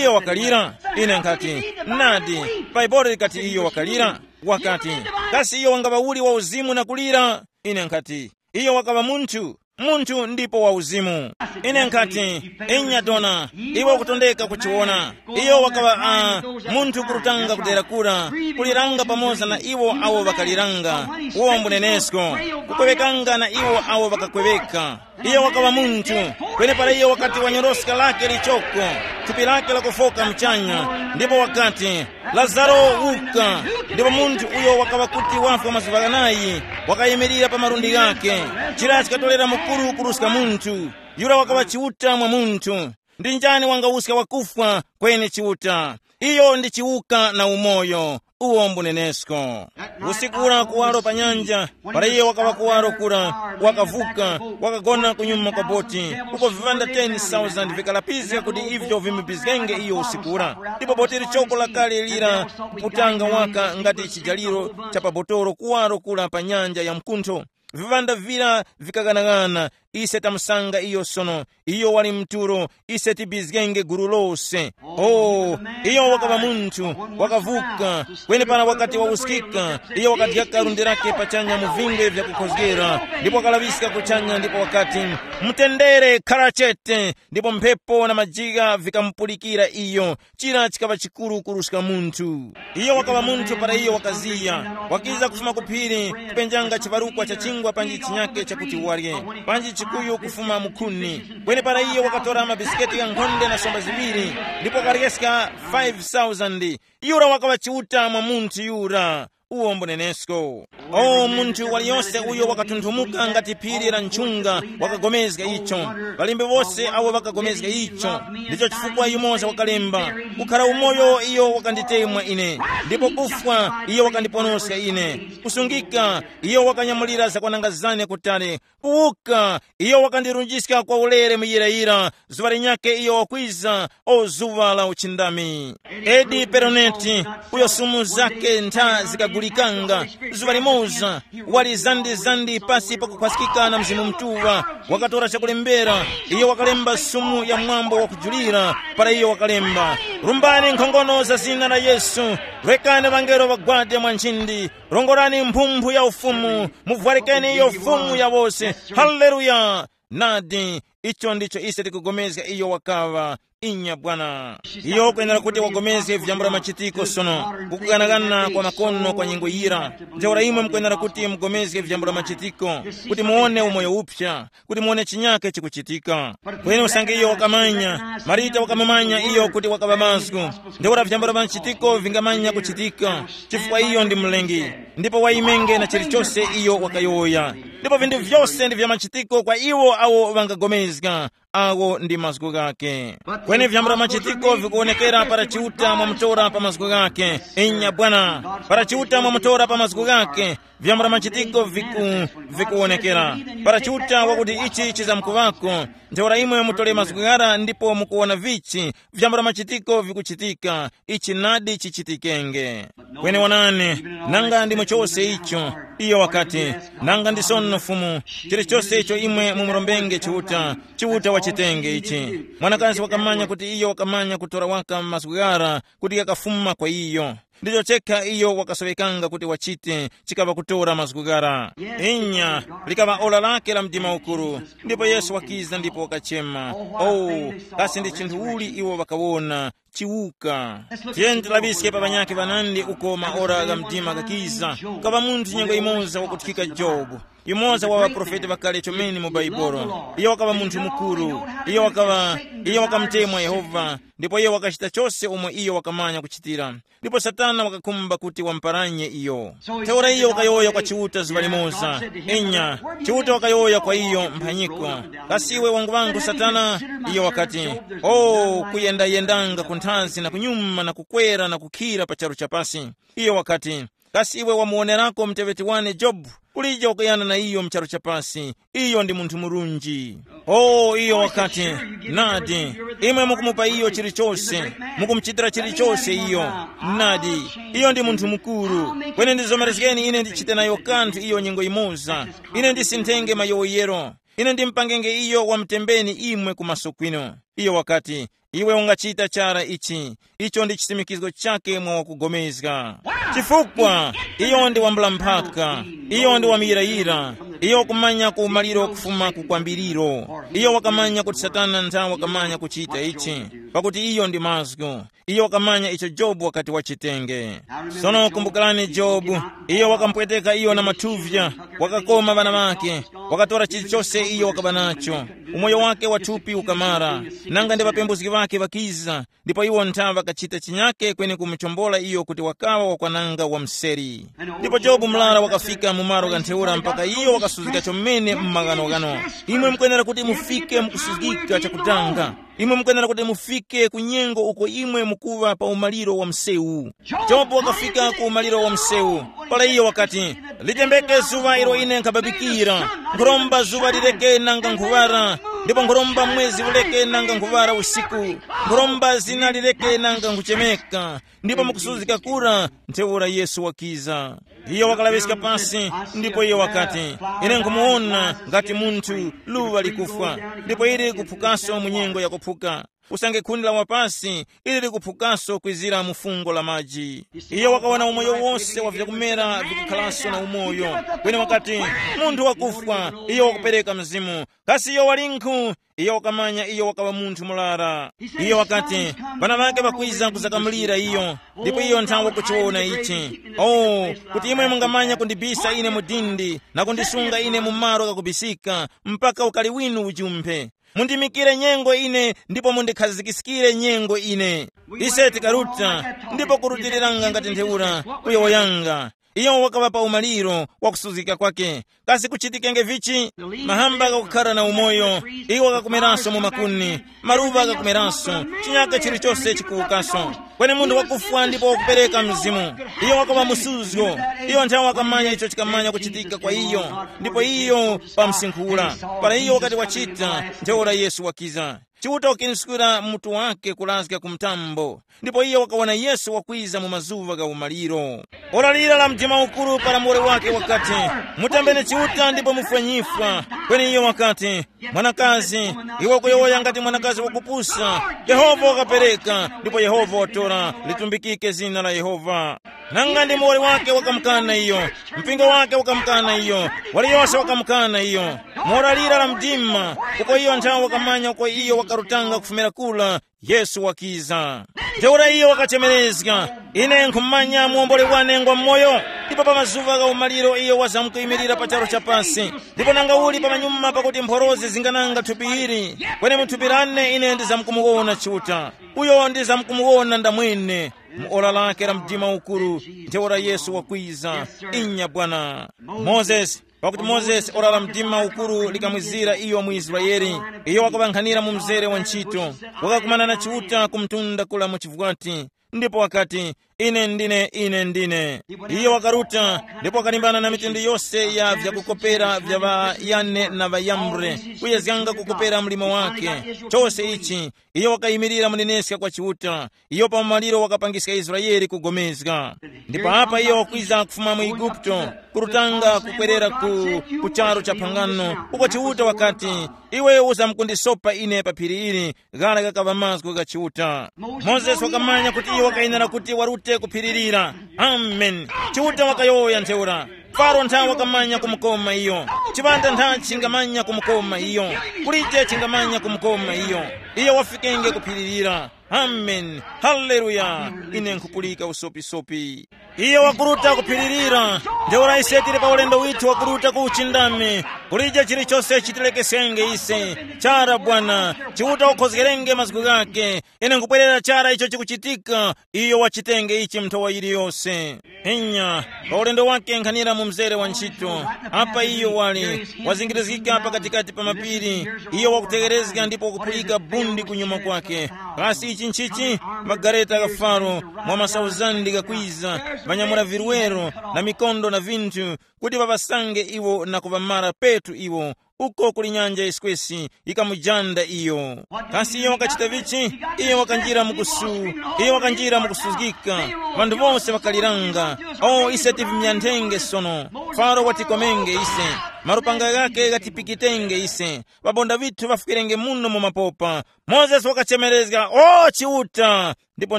iyo wakalira. Ine nkhati, nadi, Baibolo likati iyo wakalira. Wakati, kasi iyo wangaŵa uli wa uzimu na kulira? Ine nkhati, iyo wakaŵa munthu. munthu ndipo wa uzimu. Ine nkhati, inya dona, iwe ukutondeka kuchiwona. Iyo wakaŵa uh, munthu kurutanga kudera kura, kuliranga pamoza na iwo awo ŵakaliranga, uwo mbunenesko, kukwewekanga na iwo awo ŵakakweweka. Iyo wakaŵa munthu, kwenepara iyo wakati wanyoroska lake lichoko, thupi lake lakufoka mchanya, ndipo wakati, lazaro, uka. Ndipo munthu uyo wakaŵa kuti wafwa mazuŵa ghanayi, wakayimirira pa malundi ghake. Chira chikatorera mukuru kuruska munthu. Yura wakaŵa chiuta mwa munthu. Ndi njani wangawuska wakufwa? Kweni chiuta. Iyo ndi chiwuka na umoyo, uwo mbunenesko. Usiku ura kuwaro pa nyanja, para iye wakaŵa kuwaro kura, wakavuka, wakagona kunyuma kwa boti, uko vivanda ten thousand vikalapizga kuti ivyo vimubizgenge iyo usiku ura. Ndipo boti lichoko lakale lira kuputanga waka ngati chijaliro cha pabotoro kuwaro kura pa nyanja ya mkuntho. Vivanda vira vikaganaghana. Ise tamusanga iyo sono. Iyo wali mturo. Ise tibizgenge gulu lose. Oh, iyo wakaŵa munthu, wakavuka. Kwenepara wakati wawuskika, iyo wakadyaka lundi lake pachanya mu vingwe vyakukhozgera, ndipo wakalaŵiska kuchanya ndipo wakati, mtendere khara chete. Ndipo mphepo na majigha vikamupulikira iyo. Chira chikaŵa chikuru kuruska munthu. Iyo wakaŵa munthu para iyo wakaziya, wakiza kufuma ku phiri, kupenjanga chiparukwa cha chingwa panji chinyake chakuti warye, panji chikuyu kufuma mukhuni. Kweni para iyo wakatora mabisiketi ghankhonde na somba ziŵiri, ndipo wakaryeska five thousand. Yura wakaŵa chiuta mwa munthu yura. Uwo mbunenesko. O munthu waliyose uyo wakatunthumuka ngati phiri la nchunga, wakagomezga icho. Ŵalembi wose awo ŵakagomezga icho. Ndicho chifukwa yumoza wakalemba, kukhara umoyo iyo wakanditemwa ine, ndipo kufwa iyo wakandiponoska ine, kusungika iyo wakanyamulira zakwananga zane kutali, kuwuka iyo wakandirunjiska kwa ulere muyirayira. Zuŵa linyakhe iyo wakwiza, o zuŵa la uchindami. Edi peroneti, uyo sumu zake ntha zikagulikanga, zuŵa limoza wali zandi-zandi pasi pakukhwaskika na Mzimu Mutuŵa, wakatora chakulembera. Iyo wakalemba sumu ya mwambo wakujulira, para iyo wakalemba, rumbani nkhongono za zina la Yesu, rekani ŵangelo ŵagwade mwa nchindi, rongorani mphumphu ya ufumu, muvwarikeni iyo fumu ya wose. Haleluya. Nadi, icho ndicho ise tikugomezga iyo wakaŵa. Inya bwana. Iyo kwenera kuti wagomezge vyambula machitiko sono, kukuganagana kwa makono kwa nyengo yira. Ntheura imwe mukwenera kuti mugomezge vyambula machitiko, kuti muwone umoyo upsa, kuti muwone chinyake chikuchitika. Kweni usange iyo wakamanya, Marita wakamumanya iyo kuti wakaŵa mazgu. Ntheura vyambula machitiko vingamanya kuchitika, chifukwa iyo ndi mlengi, ndipo waimenge na chilichose iyo wakayowoya. Ndipo vinthu vyose ndi vya machitiko kwa iwo awo ŵangagomezga, awo ndi mazgu ghake. Kweni vyambula machitiko vikuwonekera para Chiuta mwamutora pa mazgu ghake. Inya bwana, para Chiuta mwamutora pa mazgu ghake, vyambula machitiko viku, vikuwonekera. Para Chiuta wakuti ichi chizamkuŵako, ntheura imwe mutole mazgu ghara ndipo mukuwona vichi, vyambula machitiko vikuchitika, ichi nadi chichitikenge. Kweni wonani, nanga ndi mu chose icho, iyo wakati, nanga ndi sono Fumu, chilichose icho imwe mumurombenge Chiuta, Chiuta wachitenge ichi. Mwanakazi wakamanya kuti iyo wakamanya kutora waka mazgu ghara kuti ghakafuma kwa iyo. Ndicho chekha iyo wakasowekanga kuti wachite, chikaŵa kutora mazgu ghara. Inya, likaŵa ora lake la mdima ukuru, ndipo Yesu wakiza ndipo wakachema. Oh, kasi ndi chinthu uli iwo ŵakawona? Chiwuka. Tiyeni tilaŵiske pa ŵanyakhe ŵanandi uko maora gha mdima ghakiza. Kukaŵa munthu nyengo yimoza wakuthikika Jobu, yumoza wa ŵaprofeti ŵakale chomene mu Baibolo. Iyo wakaŵa munthu mukuru. Iyo wakaŵa, iyo wakamutemwa Yehova, ndipo iyo wakachita chose umo iyo wakamanya kuchitira. Ndipo Satana wakakhumba kuti wamuparanye iyo. Ntheura iyo wakayowoya kwa Chiuta zuŵa limoza. Enya, Chiuta wakayowoya kwa iyo mphanyiko, kasi iwe wanguŵangu Satana? Iyo wakati, o, kuyendayendanga kunthazi na kunyuma na kukwera na kukhira pa charu chapasi. Iyo wakati, kasi iwe wamuwonerako muteŵeti wane Jobu? Kulije wakuyana na iyo mu charu chapasi. Iyo ndi munthu murunji. O, iyo wakati, nadi, imwe mukumupa iyo chilichose, mukumuchitira chilichose iyo. Nadi, iyo ndi munthu mukuru. Kweni ndizomerezgeni ine ndichite nayo kanthu iyo nyengo yimoza. Ine ndisinthenge mayowoyero. Ine ndimupangenge iyo wamutembeni imwe ku maso kwinu. Iyo wakati, iwe ungachita chara ichi. Icho ndi chisimikizgo chake mwa wakugomezga. Chifukwa iyo ndi wambula mphaka, iyo ndi wamuyirayira. Iyo wakumanya ku umaliro kufuma ku kwambiriro. Iyo wakamanya kuti Satana nthawe wakamanya kuchita ichi, pakuti iyo ndi mazgu. Iyo wakamanya icho Jobu wakati wachitenge. Sono kumbukarani Jobu, iyo wakampweteka iyo na mathuvya, wakakoma ŵana ŵake, wakatora chilichose iyo wakaba nacho. Umoyo wake wa thupi ukamara, nanga ndi ŵapembuzgi ŵake ŵakiza, ndipo iwo nthawe ŵakachita chinyake kweni kumuchombola iyo kuti wakaŵa wakwananga wa mseri. Ndipo Jobu mlara wakafika mu malo gha ntheura mpaka iyo wakasuzgika chomene m'maghanoghano. Imwe mukwenera kuti mufike mukusuzgika chakutanga. Imwe mukwenera kuti mufike ku nyengo uko imwe mukuŵa pa umaliro wa msewu. Jobu wakafika ku umaliro wa msewu. Para iyo wakati, litembeke zuŵa ilo ine nkhababikira. Nkhuromba zuŵa lireke nanga nkhuŵara, ndipo nkhuromba mwezi uleke nanga nkhuŵara usiku. Nkhuromba zina lireke nanga nkhuchemeka. Ndipo mukusuzgika kura, ntheura Yesu wakiza. Iyo wakalaŵiska pasi, ndipo iyo wakati, ine nkhumuwona ngati munthu luŵa likufwa, ndipo ili likuphukaso mu nyengo yakuphuka. Usange khuni la wapasi, ili likuphukaso kwizira mu fungo la maji. Iyo wakawona umoyo wose wa vyakumera vikukhalaso na umoyo. Kweni wakati, munthu wakufwa, iyo wakupereka mzimu. Kasi iyo walinkhu? Iyo wakamanya iyo wakaŵa munthu murara. Iyo wakati, ŵana ŵake ŵakwiza kuzakamulira iyo, ndipo iyo nthawe kuchiwona ichi. Oh, kuti imwe mungamanya kundibisa ine mu dindi na kundisunga ine mu malo ghakubisika, mpaka ukali winu ujumphe. Mundimikire nyengo ine, ndipo mundikhazikiskire nyengo ine. Ise tikaruta, ndipo kurutiriranga ngati ntheura, kuyowoyanga. Iyo wakaŵa pa umaliro wa kusuzgika kwake. Kasi kuchitikenge vichi? Mahamba ghakukhara na umoyo, iwo ghakumeranso mu makuni, maluŵa ghakumeranso, chinyaka chilichose chikuwukaso. Kweni munthu wakufwa ndipo wakupereka mzimu, iyo wakaŵa musuzgo. Iyo nthawe wakamanya icho chikamanya kuchitika kwa iyo, ndipo iyo pamsinkhula. Para iyo wakati wachita, ntheura Yesu wakiza. Chiuta wakinskira mutu wake kulazga ku mtambo, ndipo iye wakawona Yesu wakwiza mu mazuŵa gha umaliro. Ora lira la mdima ukuru para muwoli wake wakati, mutambeni Chiuta ndipo mufwe nyifwa. Kweni iyo wakati, mwanakazi, iwe ukuyowoya ngati mwanakazi wakupusa. Yehova wakapereka, ndipo Yehova watora, litumbikike zina la Yehova. Nanga ndi muwoli wake wakamukana iyo, mpingo wake wakamukana iyo, waliyose wakamukana iyo. Mora lira la mdima, uko iyo nthawe wakamanya uko iyo wakarutanga kufumira kula, Yesu wakiza. Ntheura iyo wakachemerezga, ine nkhumanya muwomboli wane ngwa moyo. Ndipo pa mazuŵa gha umaliro iyo wazamkuyimirira pa charu cha pasi. Ndipo nanga uli pamanyuma pakuti mphorozi zingananga thupi ili, kweni mu thupi lane ine ndizamkumuwona Chiuta. Uyo ndizamkumuwona ndamwene. Mu ora lake la mdima ukuru, ntheura Yesu wakwiza. Inya bwana. Mozesi, pakuti Mozesi ora la mdima ukuru likamwizira iyo mu Israeli. Iyo wakaŵankhanira mu mzere wa ntchito, wakakumana na Chiuta ku mtunda kula mu chivwati, ndipo wakati, ine ndine, ine ndine. Iyo wakaruta, ndipo wakalimbana na mitundu yose ya vyakukopera vya ŵa Yane na ŵa Yambre, kuyezganga kukopera mlimo wake. Chose ichi, iyo wakayimirira muneneska kwa Chiuta. Iyo pa umaliro wakapangiska Israele kugomezga. Ndipo apa iyo wakwiza kufuma mu Eguputo, kurutanga kukwerera ku, ku charu cha phangano, uko Chiuta wakati, iwe uzamkundisopa ine pa phiri ili, ghara ghakaŵa mazgu gha Chiuta. Mozesi wakamanya kuti iyo wakayenera kuti warute kuphiririra. Amen. Chiuta wakayowoya ntheura. Faro ntha wakamanya kumukoma iyo. Chipanda ntha chingamanya kumukoma iyo. Kulije chingamanya kumukoma iyo. Iyo wafikenge kuphiririra. Amen. Haleluya. Ine nkhupulika usopisopi. Iyo wakuruta kuphiririra. Ntheura ise tili pa ulendo withu wakuruta ku uchindami. Kulije chilichose chitilekesenge ise. Chara Bwana, Chiuta ukhozgerenge mazgu ghake. Ine nkubwerera chara icho chikuchitika. Iyo wachitenge ichi mnthowa yiliyose. Inya, pa ulendo wake nkhanira mu mzere wa ntchito. Apa iyo wali wazingirizgika pakatikati pa mapiri. Iyo wakutegherezga ndipo wakupulika bundi kunyuma kwake. Kasi ichi nchichi? Magareta gha Faro mwa masauzandi ghakwiza, ŵanyamula virwero na mikondo na vinthu, kuti ŵaŵasange iwo na kuŵamara petu iwo. Uko kuli nyanja yiswesi yikamujanda iyo. Kasi iyo wakachita vichi? Iyo wakanjira mu kusu, iyo wakanjira mu kusuzgika. Ŵanthu bose ŵakaliranga. O, ise tivimyanthenge sono. Faro watikomenge ise. malupanga ghake ghatipikitenge ise, ŵabonda ŵithu ŵafukirenge muno mu mapopa. Mozesi wakachemerezga, "O Chiuta!" Ndipo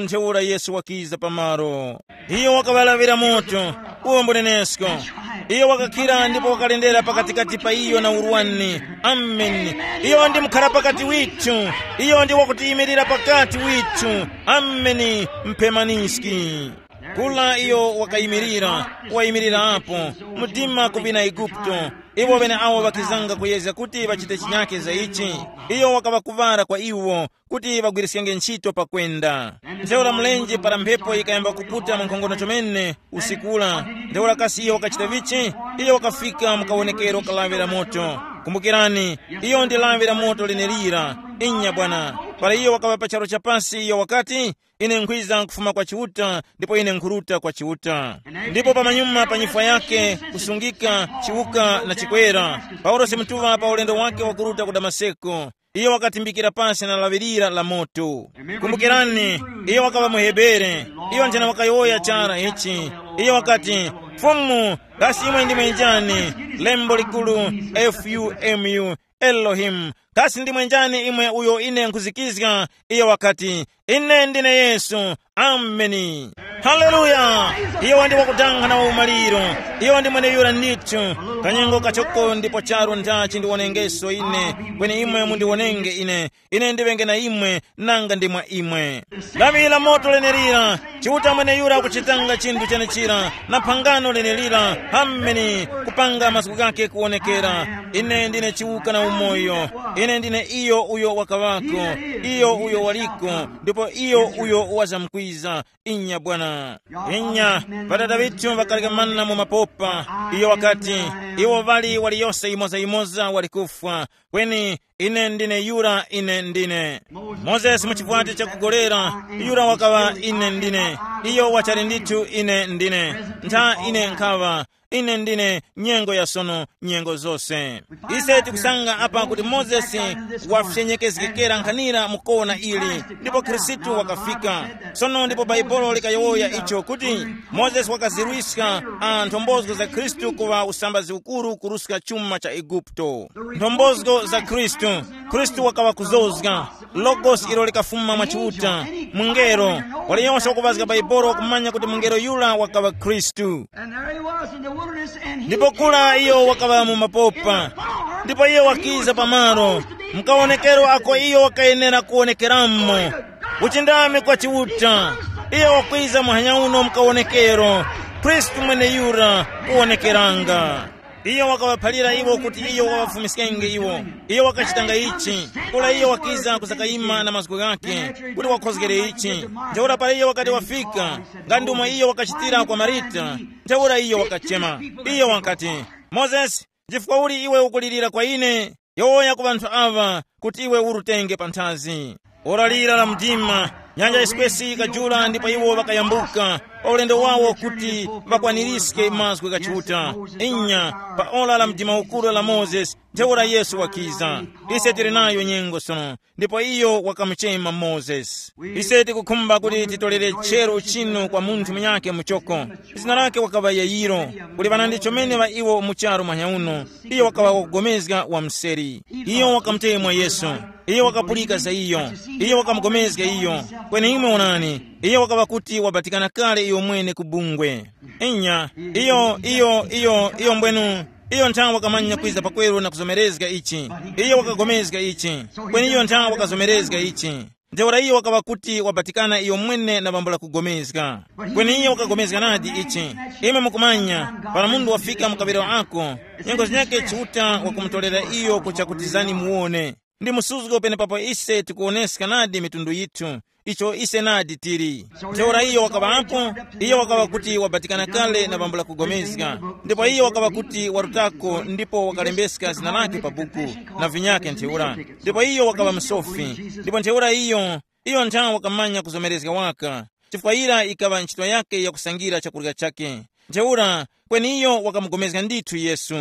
ntheura Yesu wakiza pamaro. Iyo wakaŵalaŵira moto, uwo mbunenesko. Iyo wakakhira ndipo wakalendera pakatikati pa iyo na urwani. Ameni. Iyo ndi mukhara pakati withu. Iyo ndi wakutiyimirira pakati withu. Ameni. Mphemaniski. Kula iyo wakayimirira, wayimirira apo, mudima ku vina Eguputo. Iwo ŵeneawo ŵakizanga kuyezga kuti ŵachite chinyake za ichi. Iyo wakaŵa kuŵara kwa iwo kuti ŵagwiriskenge ntchito pakwenda. Ntheura mlenje para mphepo yikayamba kuputa mwankhongono chomene usikula. Ntheura kasi iyo wakachita vichi? Iyo wakafika mu kawonekero ka lawi la moto. Kumbukirani, iyo ndi lawi la moto lenelira. Inya bwana. Para iyo wakaŵa pa charu cha pasi iyo wakati, "Ine nkhwiza kufuma kwa Chiuta, ndipo ine nkhuruta kwa Chiuta." Ndipo pamanyuma pa nyifwa yake kusungika chiwuka na chikwera, Paulosi mutuŵa pa ulendo wake wakuruta ku Damaseko, iyo wakatimbikira pasi na laŵirira la moto. Kumbukirani, iyo wakaŵa muHebere. Iyo nthena wakayowoya chara ichi. Iyo wakati, "Fumu, kasi imwe ndimwe njani?" Lembo likulu, F U M U, Elohim. Kasi ndimwe njani imwe uyo ine nkhuzikizga? Iyo wakati, "Ine ndine Yesu." Ameni. Haleluya. Iyo ndi wakudanga na waumaliro. Iyo ndi mweneyura ndithu. Kanyengo kachoko ndipo charu ndachi ndiwonengeso ine, kweni imwe mundiwonenge ine. Ine ndiŵenge na imwe, nanga ndi mwa imwe. Lawi la moto lenelira, Chiuta mweneyura kuchitanga chinthu chenechira, na phangano lenelira. Ameni. Kupanga mazgu ghake kuwonekera. Ine ndine chiwuka na umoyo. Ine ndine iyo uyo wakaŵako, iyo uyo waliko, ndipo iyo uyo wazamkwiza. Inya bwana. Inya, ŵadada ŵithu ŵakalekamana mu mapopa. Iyo wakati, iwo ŵali waliyose yimoza-yimoza wali kufwa. Kweni, ine ndine yura, ine ndine. Mozesi mu chivwati chakugolera, yura wakaŵa ine ndine. Iyo wachali ndithu ine ndine. Ntha ine nkhaŵa, ine ndine nyengo ya sono, nyengo zose. Ise tikusanga apa kuti Mozesi wafyenyekezgekera nkhanira mu kona ili, ndipo Khristu wakafika. Sono ndipo Bhaibuli likayowoya icho kuti Mozesi wakazirwiska a nthombozo za Khristu kuŵa usambazi ukuru kuruska chuma cha Eguputo. Nthombozo za Khristu, Khristu wakaŵa kuzozga. Logos ilo likafuma mwa Chiuta, mungelo. Waliyonse wakupazga Bhaibuli wakumanya kuti mungelo yura wakaŵa Khristu. And there he was in the wilderness, and he ndipo kula iyo wakaŵa mu mapopa. Ndipo iyo wakiza pamalo mkawonekero ako iyo wakayenera kuwonekeramo. Uchindami kwa Chiuta. Iyo wakwiza muhanya uno mkawonekero. Khristu mweneyura kuwonekeranga. Iyo wakaŵaphalira iwo kuti iyo waŵafumiskenge iwo. Iyo wakachitanga ichi, kula iyo wakiza kuzakayima na mazgu ghakhe kuti wakhozgere ichi. Ntheura para iyo wakati wafika, nga ndumo iyo wakachitira kwa Marita, ntheura iyo wakachema. Iyo wakati, "Mozesi, chifukwa uli iwe ukulirira kwa ine? Yowoya ku ŵanthu aŵa kuti iwe urutenge panthazi." Ora lira la mdima, nyanja yiswesi yikajula ndipo iwo ŵakayambuka pa ulendo wawo kuti ŵakwaniриske mazgu gha Chiuta. Inya, pa ora la mdima ukuru la Mozesi, ntheura Yesu wakiza. Ise tili nayo nyengo sono, ndipo iyo wakamuchema Mozesi. Ise tikukhumba kuti titolere chero chinu kwa munthu munyakhe muchoko. Zina lake wakaŵa Yairo. Kuli ŵanandi chomene ŵa iwo mu charu mwanya uno. Iyo wakaŵa wakugomezga wa mseri. Iyo wakamutemwa Yesu. Iyo wakapulika za iyo. Iyo wakamugomezga iyo. Kweni imwe onani, iyo wakaŵa kuti wabatikana kale iyo mwene ku bungwe. Inya, iyo iyo iyo iyo mbwenu, iyo nthawe wakamanya kwiza pakweru na kuzomerezga ichi. Iyo wakagomezga ichi. Kweni iyo nthawe wakazomerezga ichi. Ntheura iyo wakaŵa kuti wabatikana iyo mwene na bambo la kugomezga. Kweni iyo wakagomezga nadi ichi. Imwe mukumanya, para munthu wafika mu kaŵiro ako, nyengo zinyakhe Chiuta wakumutolera iyo kuchakutizani muwone. Ndi msuzgo penepapo ise tikuwoneska nadi mitundu yithu, icho ise nadi tili. Ntheura iyo wakaŵapo, iyo wakaŵa kuti wabatikana kale na bambo la kugomezga, ndipo iyo wakaŵa kuti warutako ndipo wakalembeska zina lake pa buku, na vinyakhe ntheura. Ndipo iyo wakaŵa msofi, ndipo ntheura iyo iyo nthawe wakamanya kuzomerezga waka, chifukwa yira yikaŵa ntchito yake yakusangira chakurya chake. Ntheura, kweni iyo wakamugomezga ndithu Yesu.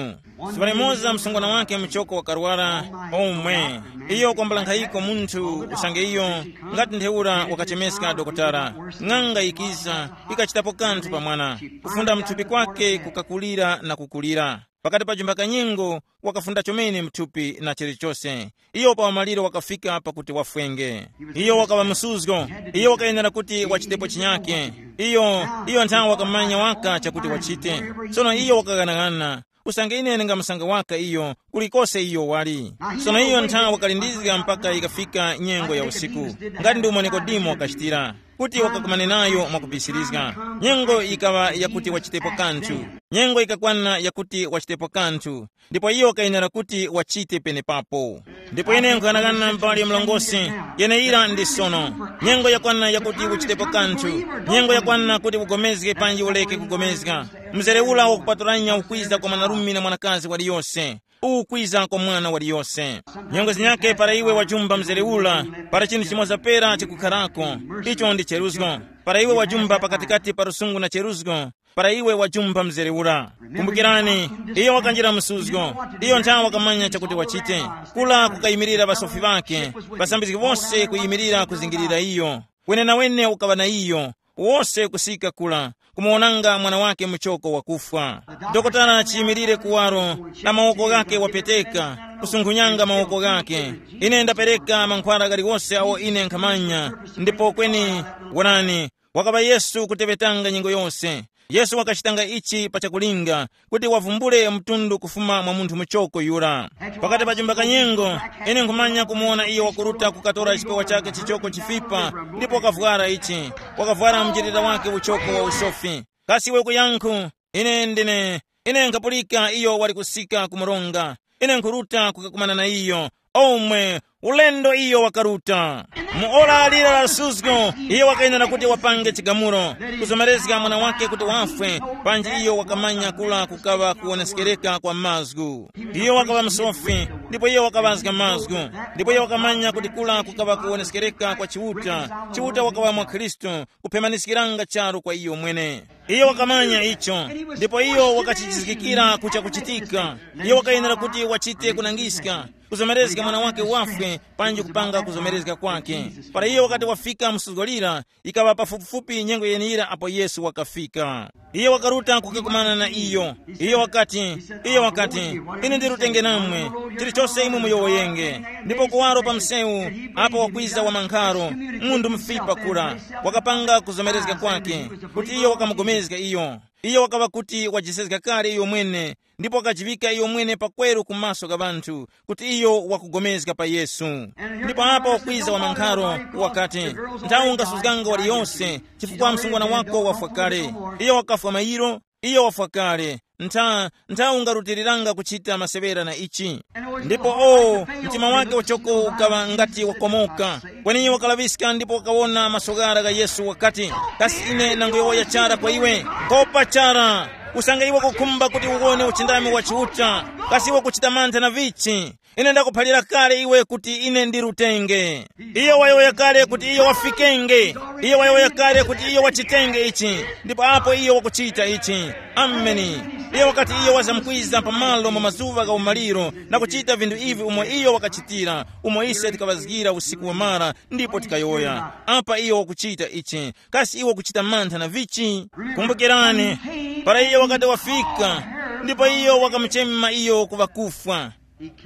Siŵa limoza msungwana wake muchoko wakarwara, omwe. Iyo kwambula nkhayiko munthu usange iyo, ngati ntheura wakachemeska dokotala. Ng'anga yikiza, ikachitapo kanthu pa mwana. Kufunda mthupi kwake kukakulira na kukulira. Pakati pa jumba kanyengo, wakafunda chomene mthupi na chilichose. Iyo pa umaliro wakafika pakuti wafwenge. Iyo wakaŵa msuzgo. Iyo wakayenera kuti wachitepo chinyake. Iyo iyo nthawi wakamanya waka chakuti wachite. Sono iyo wakaghanaghanana, usange ine ndingamusanga waka iyo, kulikose iyo wali. Sono iyo nthawi wakalindizga mpaka ikafika nyengo ya usiku, ngati ndomwe Nikodemo wakachitira, kuti wakakumane nayo mwakubisirizga. Nyengo yikaŵa yakuti wachitepo kanthu. Nyengo yikakwana yakuti wachitepo kanthu, ndipo iyo wakayenera kuti wachite penepapo. Ndipo ine nkuyang'ana mbali mlongosi, yeneyira ndi sono. Nyengo yakwana yakuti uchitepo kanthu. Nyengo yakwana kuti ugomezge panji uleke kugomezga. Mzere ula wakupatulanya ukwiza kwa mwanarume na mwanakazi waliyose. Ukwiza kwa mwana waliyose. Nyengo zinyake para iwe wajumba mzere ula, para chinthu chimoza pera chikukharako. Icho ndi cheruzgo. Para iwe wajumba pakatikati pa lusungu na cheruzgo, para iwe wajumba mzere ura. Kumbukirani, iyo wakanjira msuzgo. Iyo nthawe wakamanya chakuti wachite. Kula kukayimirira ŵasofi ŵake, ŵasambizgi wose kuyimirira kuzingirira iyo. Wenenawene ukaŵa na iyo, wose kusika kula, kumuwonanga mwana wake muchoko wakufwa. Dokotala chiyimirire kuwaro, na mawoko ghake wapeteka, kusunkhunyanga mawoko ghake. Ine ndapereka mankhwara ghaliwose awo ine nkhamanya. Ndipo kweni, wonani, wakaŵa Yesu kuteŵetanga nyengo yose. Yesu wakachitanga ichi pa chakulinga, kuti wavumbule mtundu kufuma mwa munthu muchoko yura. Pakati pa chimba kanyengo, ine nkhumanya kumuwona iyo wakuruta kukatora chipewa chake chichoko chifipa, ndipo wakavwara ichi, wakavwara mjirira wake uchoko wa usofi. Kasi iwe kuyankhu? Ine ndine, ine nkhapulika iyo wali kusika ku mronga. Ine nkhuruta kukakumana na iyo. Omwe, ulendo iyo wakaruta. Mu ora lira la suzgo, iyo wakayenera kuti wapange chigamulo, kuzomerezga mwana wake kuti wafwe, panji iyo wakamanya kula kukaŵa kuwoneskereka kwa mazgu. Iyo wakaŵa msofi, ndipo iyo wakaŵazga mazgu, ndipo iyo wakamanya kuti kula kukaŵa kuwoneskereka kwa Chiuta. Chiuta wakaŵa mwa Khristu, kuphemaniskiranga charu kwa iyo mwene. Iyo wakamanya icho, ndipo iyo wakachizgikira kucha kuchitika. Iyo wakayenera kuti wachite kunangiska, kuzomerezga mwana wake wafwe, panji kupanga kuzomerezga kwake. Para iyo wakati wafika msuzgo lira, ikaŵa pafupifupi nyengo yeniyira apo Yesu wakafika. Iyo wakaruta kukakumana na iyo. Iyo wakati, iyo wakati, ine ndirutenge namwe, chilichose imwe muyowoyenge. Ndipo kuwaro pa msewu, apo wakwiza wa mankharo, mundu mfipa kura, wakapanga kuzomerezga kwake, kuti iyo wakamugomezga iyo. Iyo wakaŵa kuti wajisezga kale iyo mwene, ndipo wakajiŵika iyo mwene pakweru ku maso gha ŵanthu, kuti iyo wakugomezga pa Yesu. Ndipo apo wakwiza wa mankharo, wakati, nthawi ungasuzganga waliyose, chifukwa msungwana wako wafwa kale. Iyo wakafwa mayiro, iyo wafwa kale. Ntha, ntha ungarutiriranga kuchita maseŵera na ichi. Ndipo o, mtima wake uchoko ukaŵa ngati wakomoka. Kweni wakalaŵiska ndipo wakawona masoghara gha Yesu wakati, kasi ine nanguyowoya chara kwa iwe, kopa chara. Usange iwe kukhumba kuti uwone uchindami wa Chiuta, kasi iwe kuchita mantha na vichi? Ine ndakuphalira kale iwe kuti ine ndi lutenge. Iyo wayowoya kale kuti iyo wafikenge. Iyo wayowoya kale kuti iyo wachitenge ichi, ndipo apo iyo wakuchita ichi. Ameni. Iyo wakati iyo wazamkwiza pamalo mu mazuŵa gha umaliro, na kuchita vinthu ivi umo iyo wakachitira, umo ise tikaŵazgira usiku wamara, ndipo tikayowoya, apa iyo wakuchita ichi, kasi iwe ukuchita mantha na vichi? Kumbukirani, para iyo wakati wafika, ndipo iyo wakamuchema iyo ku ŵakufwa.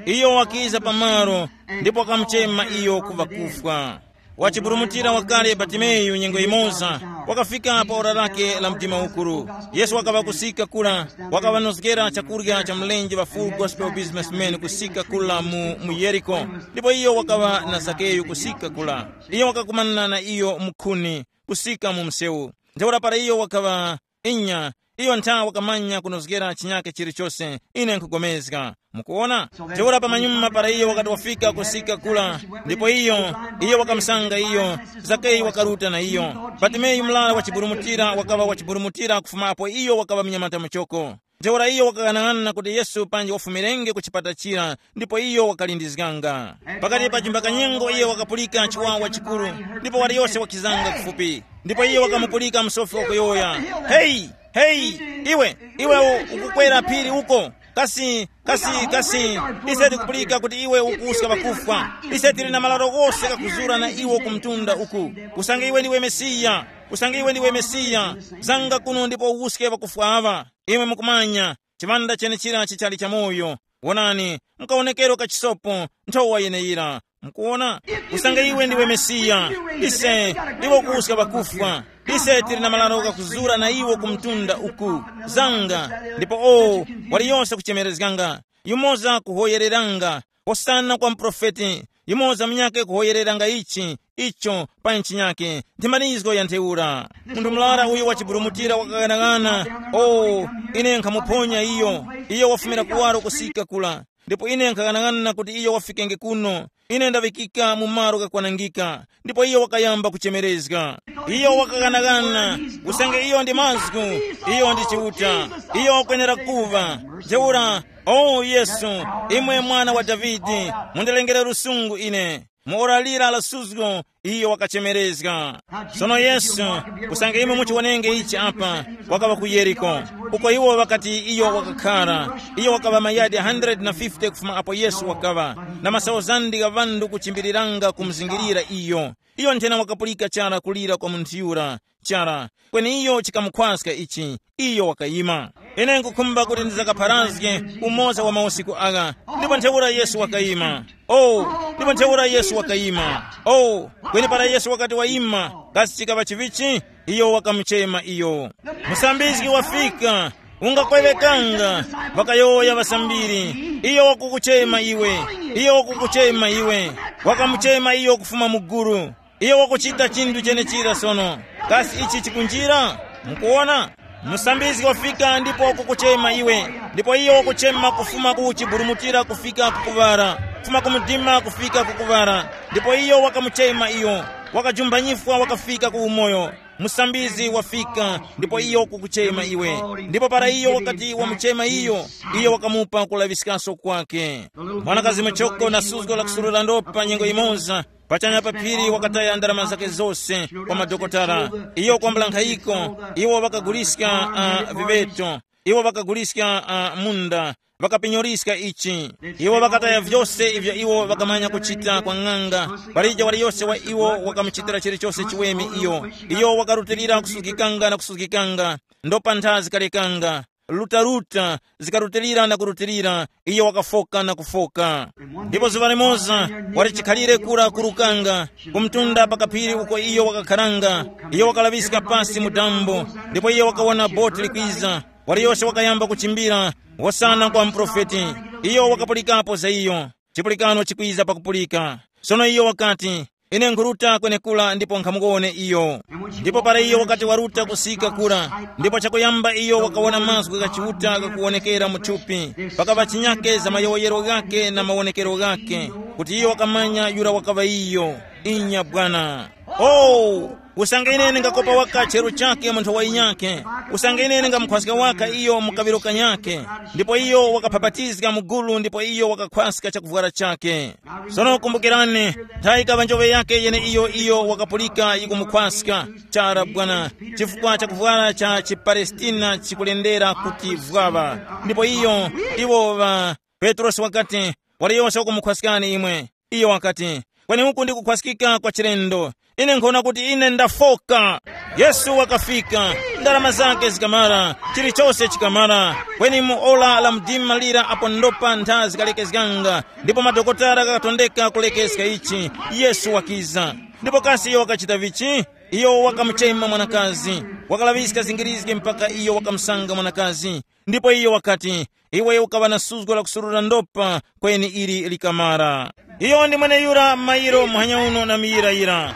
Iyo wakiza pamalo, ndipo wakamuchema iyo ku ŵakufwa. Wachiburumutira wakale Batimeyu nyengo imoza, wakafika pa ora lake la mdima ukuru. Yesu wakaŵa kusika kura, wakaŵanozgera chakurya cha mlenje wa Full Gospel Businessman kusika kula mu, mu Yeriko. Ndipo iyo wakaŵa na Zakeyu kusika kula. Iyo wakakumana na iyo mukhuni, kusika mu msewu. Ntheura para iyo wakaŵa, inya, iyo ntha wakamanya kunozgera chinyake chilichose, ine nkugomezga. Mukuona? Ntheura pamanyuma para iyo wakati wafika kusika kula, ndipo iyo, iyo wakamusanga iyo, Zakeyu wakaruta na iyo. Batimeyu mlala wachiburumutira wakaŵa wachiburumutira kufuma apo iyo wakaŵa mnyamata muchoko. Ntheura iyo wakaghanag'ana na kuti Yesu panji wafumirenge ku chipata chira, ndipo iyo wakalindizganga. Pakati pa chimbakanyengo iyo wakapulika chiwawa chikuru, ndipo waliyose wakizanga kufupi. Ndipo iyo wakamupulika msofi wakuyowoya, heyi, heyi, iwe, iwe u- ukukwera phiri uko, kasi, kasi, kasi, ise tikupulika kuti iwe ukuwuska ŵakufwa. Ise tili na malaro ghose ghakuzura na iwo ku mtunda uku. Usange iwe ndiwe Mesiya, usange iwe ndiwe Mesiya, zanga kuno ndipo uwuske ŵakufwa aŵa. Imwe mukumanya, chiŵanda chenechira chichali chamoyo. Wonani, mukawonekero ka chisopo, nthowa yeneyira. Mukuwona? Usange iwe ndiwe Mesiya, ise, iwe kuwuska ŵakufwa. Ise tili na malaro ghakuzura na iwo ku mtunda uku. Zanga, ndipo o, waliyose kuchemerezganga, yumoza kuhoyereranga, hosana kwa muprofeti, yumoza munyakhe kuhoyereranga ichi, icho, pa nchinyakhe, ndi malinzgo ya ntheura. Munthu murara uyo wachiburumutira wakaghanag'ana, o, ine nkhamuphonya iyo, iyo wafumira kuwaro kusika kula. Ndipo ine nkhaghanag'ana kuti iyo wafikenge kuno. Ine ndaŵikika mu malo ghakwanangika. Ndipo iyo wakayamba kuchemerezga. Iyo wakaghanag'ana, usange iyo ndi mazgu, iyo ndi Chiuta. Iyo wakwenera kuva. Ntheura, o Yesu, imwe mwana wa Davide, mundilengere lusungu ine. Mu ora lira la suzgo, iyo wakachemerezga. Sono Yesu, usange imwe muchiwonenge ichi apa, wakaŵa ku Yeriko, uko iwo ŵakati iyo wakakhara. Iyo wakaŵa mayadi hundred na fifty kufuma apo Yesu wakaŵa, na masauzandi gha ŵanthu kuchimbiriranga kumuzingirira iyo. Iyo nthena wakapulika chara kulira kwa munthu yura, chara, kweni iyo chikamukhwaska ichi, iyo wakayima. Ine nkukhumba kuti ndizakapharazge umoza wa mausiku agha. Ndipo ntheura Yesu wakayima. Oh, ndipo ntheura Yesu wakayima. Oh, kweni para Yesu wakati wayima, kasi chikaŵa chivichi? Iyo wakamuchema iyo. Musambizgi wafika, ungakweŵekanga. Ŵakayowoya ŵasambiri, iyo wakukuchema iwe. Iyo wakukuchema iwe. Wakamuchema iyo kufuma mu gulu. Iyo wakuchita chinthu chenechira sono. Kasi ichi chikunjira? Mukuwona? Musambizgi wafika ndipo wakukuchema iwe. Ndipo iyo wakuchema kufuma ku chiburumutira kufika ku kuŵala, kufuma ku mdima kufika ku kuŵala. Ndipo iyo wakamuchema iyo, wakajumbanyifwa wakafika ku umoyo. Musambizgi wafika, ndipo iyo wakukuchema iwe. Ndipo para iyo wakati wamuchema iyo, iyo wakamupa kulaŵiskaso kwake. Mwanakazi muchoko na suzgo la kusurura ndopa nyengo imoza, pachanya pa phiri wakataya ndarama zake zose kwa madokotala. Iyo kwambula nkhayiko, iwo ŵakaguliska uh, viŵeto, iwo ŵakaguliska uh, munda, ŵakapinyoliska ichi. Iwo ŵakataya vyose ivyo iwo ŵakamanya kuchita kwa ng'anga. Palija waliyose wa iwo wakamuchitira chilichose chiweme iyo. Iyo wakarutilira kusuzgikanga na kusuzgikanga, ndopa ntha zikalekanga, lutaruta, zikarutilira na kurutilira, iyo wakafoka na kufoka. Ndipo zuŵa limoza, wali chikhalire kura kurukanga, kumtunda pa kaphiri uko iyo wakakharanga, iyo wakalaŵiska pasi mu dambo, ndipo iyo wakawona boti likwiza. Waliyose wakayamba kuchimbira, hosana kwa muprofeti. Iyo wakapulikapo za iyo. Chipulikano chikwiza pakupulika. Sono iyo wakati, ine nkhuruta kwenekura ndipo nkhamuwone iyo. Ndipo para iyo wakati waruta kusika kura, ndipo chakuyamba iyo wakawona mazgu gha Chiuta ghakuwonekera mu thupi, pakaŵa chinyake za mayowoyero ghake na mawonekero ghake, kuti iyo wakamanya yura wakaŵa iyo. Inya bwana. Oh, usange ine ndingakopa waka chero chake mu nthowa yinyakhe, usange ine ndingamukhwaska waka iyo mu kaŵiro kanyakhe. Ndipo iyo wakaphabatizga mu gulu ndipo iyo wakakhwaska chakuvwara chake. Sono kumbukirani, nthawi ikaŵa njoŵe yake yeneiyo iyo wakapulika yikumukhwaska chara bwana, chifukwa chakuvwara cha chipalestina chikulendera kuti vwaŵa. Ndipo iyo, iwo ŵa Petrosi wakati, wali yose wakumukhwaskani imwe. Iyo wakati, kweni uku ndi kukhwaskika kwa chilendo. Ine nkhona kuti ine ndafoka. Yesu wakafika, ndarama zake zikamara, chilichose chikamara. Kweni mu ora la mdima lira apo ndopa ntha zikalekezganga, ndipo madokotala ghakatondeka kulekeska ichi, Yesu wakiza. Ndipo kasi iyo wakachita vichi? Iyo wakamuchema mwanakazi, wakalaŵiska zingirizgi mpaka iyo wakamusanga mwanakazi. Ndipo iyo wakati, iwe ukaŵa na suzgo la kusurura ndopa, kweni ili likamara. Iyo ndi mweneyura mayiro muhanya uno na miyirayira.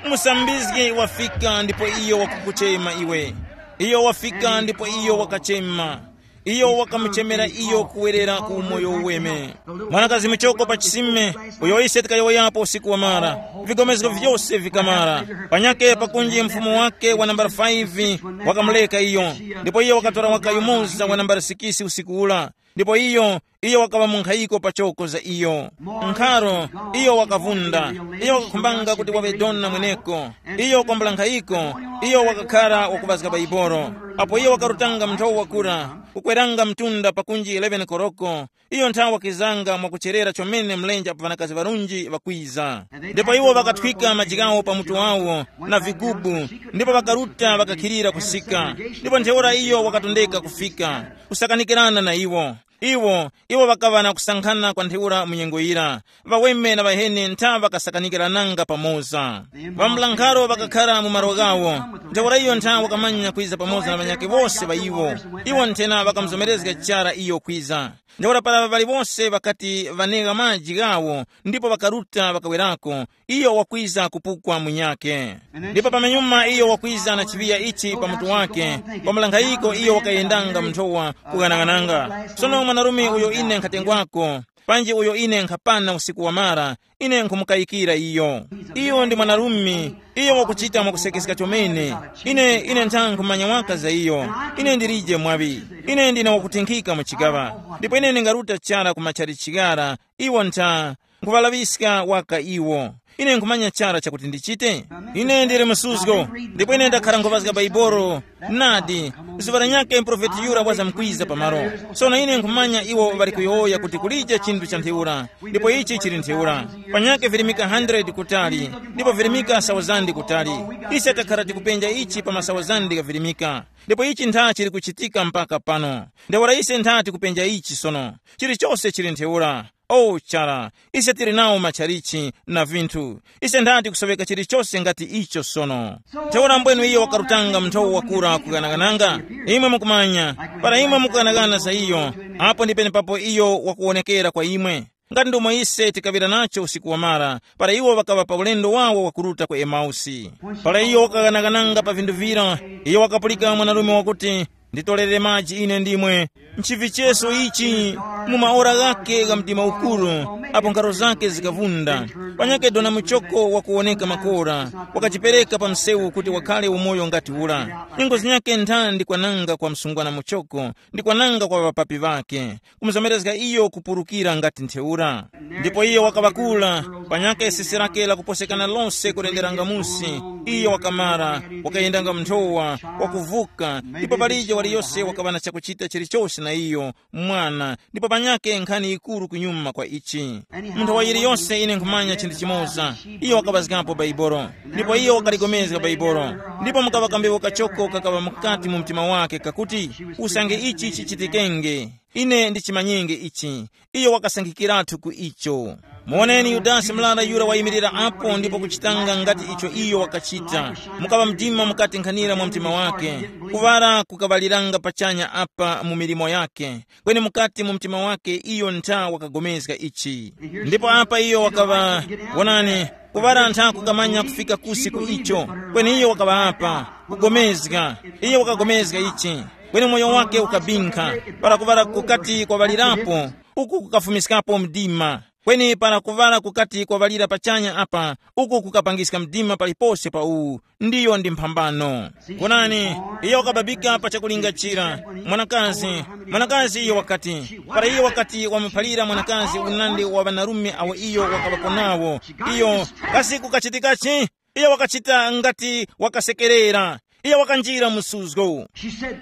Musambizgi wafika ndipo iyo wakukuchema iwe. Iyo wafika ndipo iyo wakachema. Iyo wakamuchemera iyo kuwerera ku umoyo uweme. Mwanakazi muchoko pa chisime, uyo ise tikayowoyapo usiku wamara, vigomezgo vyose vikamara. Panyake pakunji mfumu wake wa nambala five wakamuleka iyo, ndipo iyo wakatora waka yumoza wa nambala sikisi usiku ula. Ndipo iyo, Iyo wakaŵa munkhayiko pachoko za iyo. Nkharo, iyo wakavunda. Iyo wakakhumbanga kuti waŵe dona mweneko. Iyo kwambula nkhayiko, iyo wakakhara wakuŵazga Baibolo. Apo iyo wakarutanga mnthowa kura, kukweranga mtunda pakunji eleven koroko, iyo nthawi wakizanga mwakucherera chomene mlenje apo ŵanakazi ŵarunji ŵakwiza. Ndipo iwo ŵakathwika maji ghawo pa mutu wawo na vigubu, ndipo ŵakaruta ŵakakhilira kusika. Ndipo ntheura iyo wakatondeka kufika, kusakanikirana na iwo. Iwo, iwo ŵakaŵa na kusankhana kwa ntheura mu nyengo yira. Ŵaweme na ŵaheni ntha ŵakasakanikirananga pamoza. Ŵambulankharo ŵakakhara mu malo ghawo. Ntheura iyo ntha wakamanya kwiza pamoza na ŵanyakhe wose ŵa iwo. Iwo nthena ŵakamuzomerezga chara iyo kwiza. Ntheura para ŵali wose ŵakati ŵanegha maji ghawo ndipo ŵakaruta ŵakawerako, iyo wakwiza kupukwa munyakhe. Ndipo pamenyuma iyo wakwiza na chiŵiya ichi pa mutu wake, pa mlankhayiko iyo wakayendanga mu nthowa kughanaghananga. Sono mwanarume uyo ine nkhatengwako, panji uyo ine nkhapana usiku wamara, ine nkhumukayikira iyo. Iyo ndi mwanarume, iyo wakuchita mwakusekeska chomene. Ine ine nthankhu manya waka za iyo. Ine ndilije mwaŵi. Ine ndine wakutinkhika mu chigaŵa. Ndipo ine ndingaruta chara ku machali chigara, iwo ntha nkhuŵalaŵiska waka iwo. Ine nkhumanya chara chakuti ndichite. Ine ndili msuzgo, ndipo ine ndakhara nkhuŵazga Baibolo. Nadi, zuŵa lanyakhe muprofeti yura wazamkwiza pamalo. Sono ine nkhumanya iwo ŵali kuyowoya kuti kulije chinthu cha ntheura, ndipo ichi chili ntheura. Panyakhe virimika hundred kutali, ndipo virimika sawuzandi kutali. Ise takhara tikupenja ichi pa masawuzandi ghavirimika. Ndipo ichi ntha chili kuchitika mpaka pano. Ntheura ise ntha tikupenja ichi sono. Chilichose chili ntheura. O chara, ise tili nawo matchalichi na vinthu. Ise ndati kusoŵeka chilichose ngati icho sono. Ntheura mbwenu iyo wakarutanga mnthowo wakura kuganagananga. Imwe mukumanya, para imwe mukuganaghana za iyo, apo ndi penepapo iyo wakuwonekera kwa imwe. Ngati ndomwe ise tikaŵira nacho usiku wamara, para iwo ŵakaŵa pa ulendo wawo wakuruta ku Emausi. Para iyo wakaganagananga pa vinthu vira, iyo wakapulika mwanarume wakuti, nditorere maji ine ndimwe. Nchivicheso ichi, mu maora ghakhe gha mdima ukuru, apo nkharo zakhe zikavunda, panyakhe dona muchoko wakuwoneka makora, wakajipereka pa msewu kuti wakhale umoyo ngati ura. Nyengo zinyakhe nthandi kwananga kwa msungwana muchoko, ndi kwananga kwa ŵapapi ŵakhe, kumuzomerezga iyo kupurukira ngati ntheura. Ndipo iyo wakaŵakula, panyakhe sisi lake lakuposekana lose kulenderanga musi, iyo wakamara, wakayendanga mnthowa, wakuvuka, ndipo palije waliyose wakaŵa na chakuchita chilichose na iyo, mwana, ndipo panyakhe nkhani yikuru kunyuma kwa ichi. Munthu wa yiliyose ine nkhumanya chinthu chimoza, iyo wakaŵazgapo Baibolo, ndipo iyo wakaligomezga Baibolo, ndipo mukaŵa kambewu kachoko kakaŵa mukati mu mtima wake kakuti, usange ichi chichitikenge, ine ndichimanyenge ichi. Iyo wakasankhikiratu ku icho. Muwoneni Yudasi murara yura wayimirira apo ndipo kuchitanga ngati icho iyo wakachita. Mukaŵa mdima mukati nkhanira mwa mtima wake. Kuŵala kukaŵaliranga pachanya apa mu milimo yake, kweni mukati mu mtima wake iyo ntha wakagomezga ichi. Ndipo apa iyo wakaŵa, wonani, kuŵala ntha kukamanya kufika kusi ku icho, kweni iyo wakaŵa apa, kugomezga, iyo wakagomezga ichi, kweni moyo wake ukabinkha, para kuŵala kukati kwaŵalirapo, uku kukafumiskapo mdima. Kweni para kuŵala kukati kwaŵalira pachanya apa, uku kukapangiska mdima palipose pa uwu, ndiyo ndi mphambano. Kunani, iyo wakababika pa chakulinga chira, mwanakazi, mwanakazi iyo wakati, para iyo wakati wamuphalira mwanakazi unandi wa ŵanarume awo iyo wakaŵapo nawo, iyo, kasi kukachitikachi? Iyo wakachita ngati wakasekerera. Iyo wakanjira mu suzgo. She said,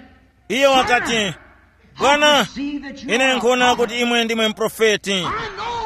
iyo wakati, bwana, ine nkhona kuti imwe ndimwe mprofeti.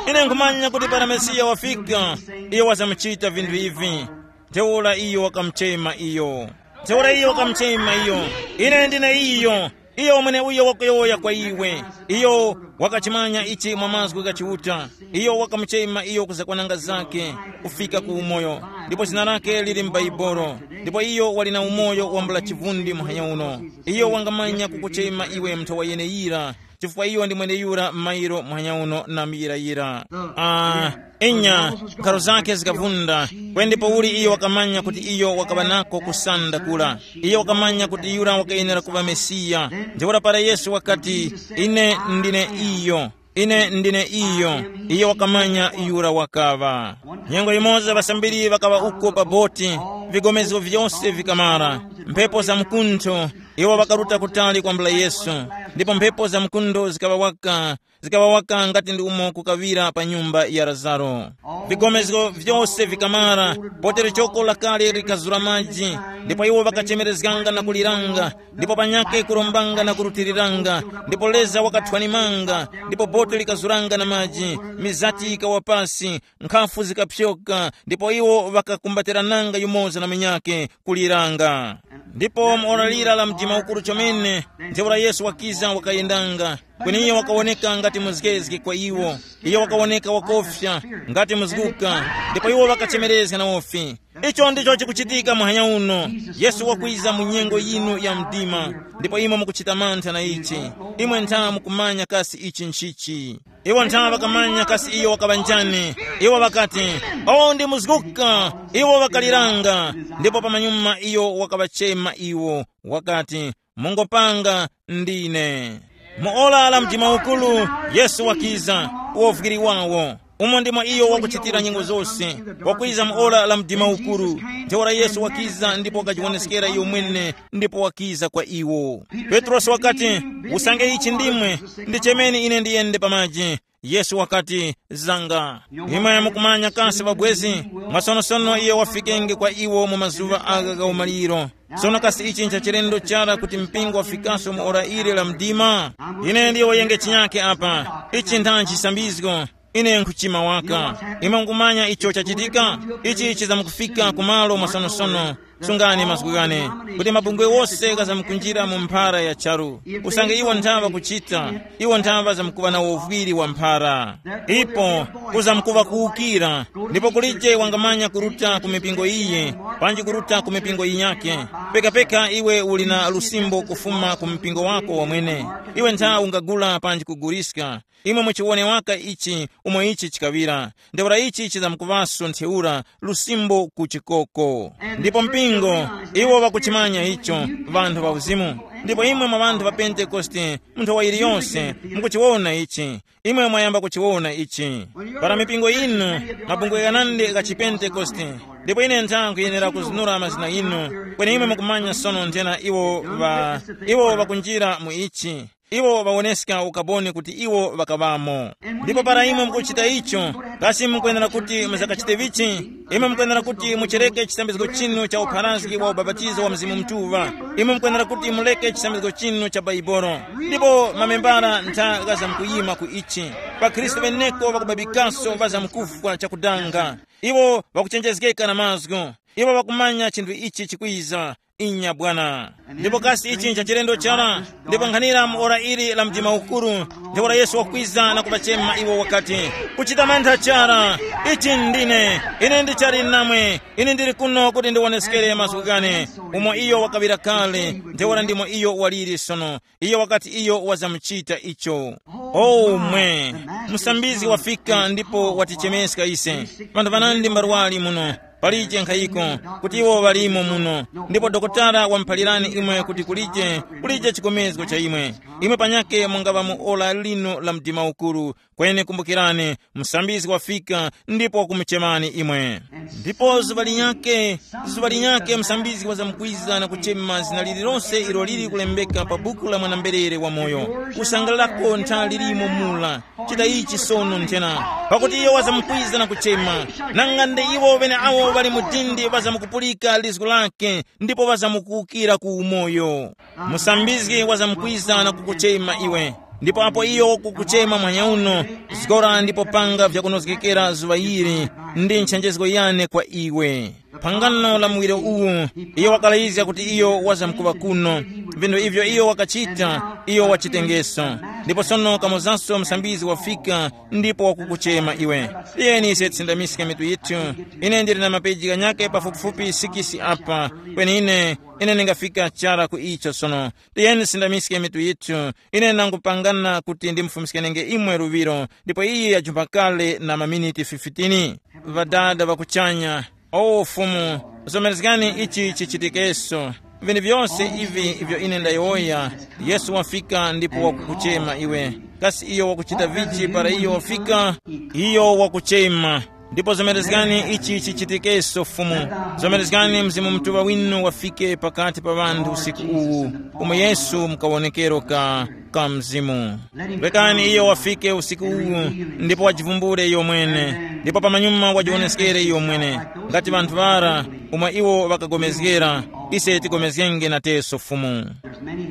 Ine nkhumanya kuti para Mesiya wafika, iyo wazamuchita vinthu ivi. Ntheura iyo wakamuchema iyo. Ntheura iyo wakamuchema iyo. Ine ndine iyo. Iyo mweneuyo wakuyowoya kwa iwe. Iyo wakachimanya ichi mwa mazgu gha Chiuta. Iyo wakamuchema iyo kuzakwananga zake, kufika ku umoyo. Ndipo zina lake lili m'Baibolo. Ndipo iyo wali na umoyo wambula chivundi muhanya uno. Iyo wangamanya kukuchema iwe mnthowa yeneyira, chifukwa iyo ndi mweneyura m'mayiro muhanya uno na muyirayira. Ah, inya, nkharo zake zikavunda, kweni ndipo uli iyo wakamanya kuti iyo wakaŵa nako kusanda kura. Iyo wakamanya kuti yura wakayenera kuŵa Mesiya. Ntheura para Yesu wakati, ine ndine iyo, ine ndine iyo, iyo wakamanya yura wakaŵa. Nyengo yimoza ŵasambiri ŵakaŵa uko pa boti, vigomezgo vyose vikamara, mphepo za mkuntho, iwo ŵakaruta kutali kwambula Yesu, ndipo mphepo za mkuntho zikaŵa waka, zikaŵawaka ngati ndi umo kukaŵira pa nyumba ya Lazaro. Vigomezgo vyose vikamara, potero choko lakale likazura maji, ndipo iwo ŵakachemerezganga na kuliranga, ndipo panyakhe kurombanga na kurutiriranga, ndipo leza wakathwanimanga, ndipo bote likazuranga na maji, mizati yikawa pasi, nkhafu zikapyoka, ndipo iwo ŵakakumbatirananga yumoza na munyakhe, kuliranga. Ndipo mu ora lira la mdima ukuru chomene, ntheura Yesu wakiza wakayendanga, kweni iyo wakawoneka ngati muzgezge kwa iwo. Iyo wakawoneka wakofya, ngati muzguka, ndipo iwo ŵakachemerezga na wofi. Icho ndicho chikuchitika muhanya uno. Yesu wakwiza mu nyengo yinu ya mdima, ndipo imwe mukuchita mantha na ichi. Imwe ntha mukumanya kasi ichi nchichi. Iwo ntha ŵakamanya kasi iyo wakaŵa njani. Iwo ŵakati, "Uwu ndi muzguka." Iwo ŵakaliranga, ndipo pamanyuma iyo wakaŵachema iwo, wakati, "Mungopanga, ndine." Mu ora la mdima ukuru, Yesu wakiza, uwovwiri wawo. Umo ndimo iyo wakuchitira nyengo zose, wakwiza mu ora la mdima ukuru. Ntheura Yesu wakiza ndipo wakajiwoneskera iyo mwene, ndipo wakiza kwa iwo. Petrosi wakati, "Usange ichi ndimwe, ndichemeni ine ndiyende pa maji." Yesu wakati, "Zanga." Imwe mukumanya kasi ŵabwezi, mwasonosono iyo wafikenge kwa iwo mu mazuŵa agha gha umaliro. Sono kasi ichi ncha chilendo chara kuti mpingo wafikaso mu ora ili la mdima? Ine ndiyo wayenge chinyake apa. Ichi nthanji chisambizgo. Ine nkhuchima waka. Imwe mukumanya icho chachitika? Ichi chizamkufika kumalo mwasonosono. Sungani mazgu ghane, kuti mabungwe wose ghazamkunjira mu mphara ya charu. Usange iwo nthaŵa kuchita, iwo nthaŵa zamkuŵa na uvwiri wa mphara. Ipo kuzamkuŵa kuwukira, ndipo kulije wangamanya kuruta ku mipingo iyi, panji kuruta ku mipingo yinyakhe. Pekapeka iwe uli na lusimbo kufuma ku mpingo wako wamwene. Iwe ntha ungagula panji kuguliska. Imwe muchiwone waka ichi, umo ichi chikaŵira. Ntheura ichi chizamkuŵaso ntheura lusimbo ku chikoko. Ndipo mpingo, iwo ŵakuchimanya icho, ŵanthu ŵa uzimu. Ndipo imwe mwa ŵanthu ŵa Pentekoste, munthu wa yiliyonse, mukuchiwona ichi. Imwe mwayamba kuchiwona ichi. Para mipingo yinu, mabungwe ghanandi gha chiPentekoste, ndipo ine ntha nkhuyenera kuzunura mazina inu, kweni imwe mukumanya sono nthena iwo ŵa, iwo ŵakunjira mu ichi. Iwo ŵawoneska ukaboni kuti iwo ŵakaŵamo. Ndipo para imwe mukuchita icho, kasi mukwenera kuti muzakachite vichi? Imwe mukwenera kuti muchereke chisambizgo chinu cha upharazgi wa ubapatizo wa Mzimu Mutuŵa. Imwe mukwenera kuti muleke chisambizgo chinu cha Baibolo. Ndipo mamembara ntha ghazamkuyima ku ichi. Pa Khristu ŵeneko ŵakubabikaso ŵazamkufwa chakudanga. Iwo ŵakuchenjezgeka na mazgu. Iwo ŵakumanya chinthu ichi chikwiza. Inya bwana. Ndipo kasi ichi ncha chilendo chara? Ndipo nkhanira mu ora ili la mdima ukuru, ntheura Yesu wakwiza na kuŵachema iwo wakati, "Kuchita mantha chara, ichi ndine, ine ndichali namwe, ine ndili kuno kuti ndiwoneskere mazgu ghane." Umo iyo wakaŵira kale, ntheura ndimo iyo waliri sono. Iyo wakati iyo wazamuchita icho. O mwe, musambizgi wafika ndipo watichemeska ise. Vanthu vanandi mbarwali muno, palije nkhayiko, kuti iwo ŵalimo muno. Ndipo dokotala wamuphalirani imwe kuti kulije, kulije chikomezgo cha imwe. Imwe panyake mungaŵa mu ora lino la mdima ukuru. Kweni kumbukirani, musambizgi wafika ndipo wakumuchemani imwe. Ndipo zuŵa linyakhe, zuŵa linyakhe musambizgi wazamkwiza na kuchema zina lililonse ilo lili kulembeka pa buku la mwana-mberere wamoyo. Kusangalalako ntha lilimo mula. Chita ichi sono nthena, pakuti iyo wazamkwiza na kuchema. Nanga ndi iwo ŵeneawo ŵali mu dindi ŵazamkupulika lizgu lake, ndipo ŵazamkuwukira ku umoyo. Musambizgi wazamkwiza na kukuchema iwe. Ndipo apo iyo wakukuchema mwanya uno, zgora ndipo panga vyakunozgekera zuŵa ili, ndi nchenjezgo yane kwa iwe. Phangano la muwiro uwu, iyo wakalayizga kuti iyo wazamkuŵa kuno. Vinthu ivyo iyo wakachita, iyo wachitengeso. Ndipo sono kamozaso musambizgi wafika, ndipo wakukuchema iwe. Tiyeni ise tisindamiske mitu yithu. Ine ndili na mapeji ghanyakhe pafupifupi sikisi apa, kweni ine, ine ndingafika chara ku icho sono. Tiyeni tisindamiske mitu yithu. Ine ndangupangana kuti ndimufumiskenge imwe luŵiro, ndipo iye yajumpa kale na maminiti fifteen. Ŵadada ŵa kuchanya, o Fumu, zomerezgani ichi chichitikeso. Vinthu vyose ivi ivyo ine ndayowoya, Yesu wafika ndipo wakukuchema iwe. Kasi iyo wakuchita vichi para iyo wafika? Iyo wakuchema. Ndipo zomerezgani ichi chichitikeso Fumu. Zomerezgani Mzimu Mutuŵa winu wafike pakati pa ŵanthu usiku uwu, umo Yesu mukawonekero ka ka Mzimu. Rekani iyo wafike usiku uwu, ndipo wajivumbule iyo mwene, ndipo pamanyuma wajiwoneskere iyo mwene, ngati ŵanthu ŵara, umo iwo ŵakagomezgera, ise tigomezgenge nateso Fumu.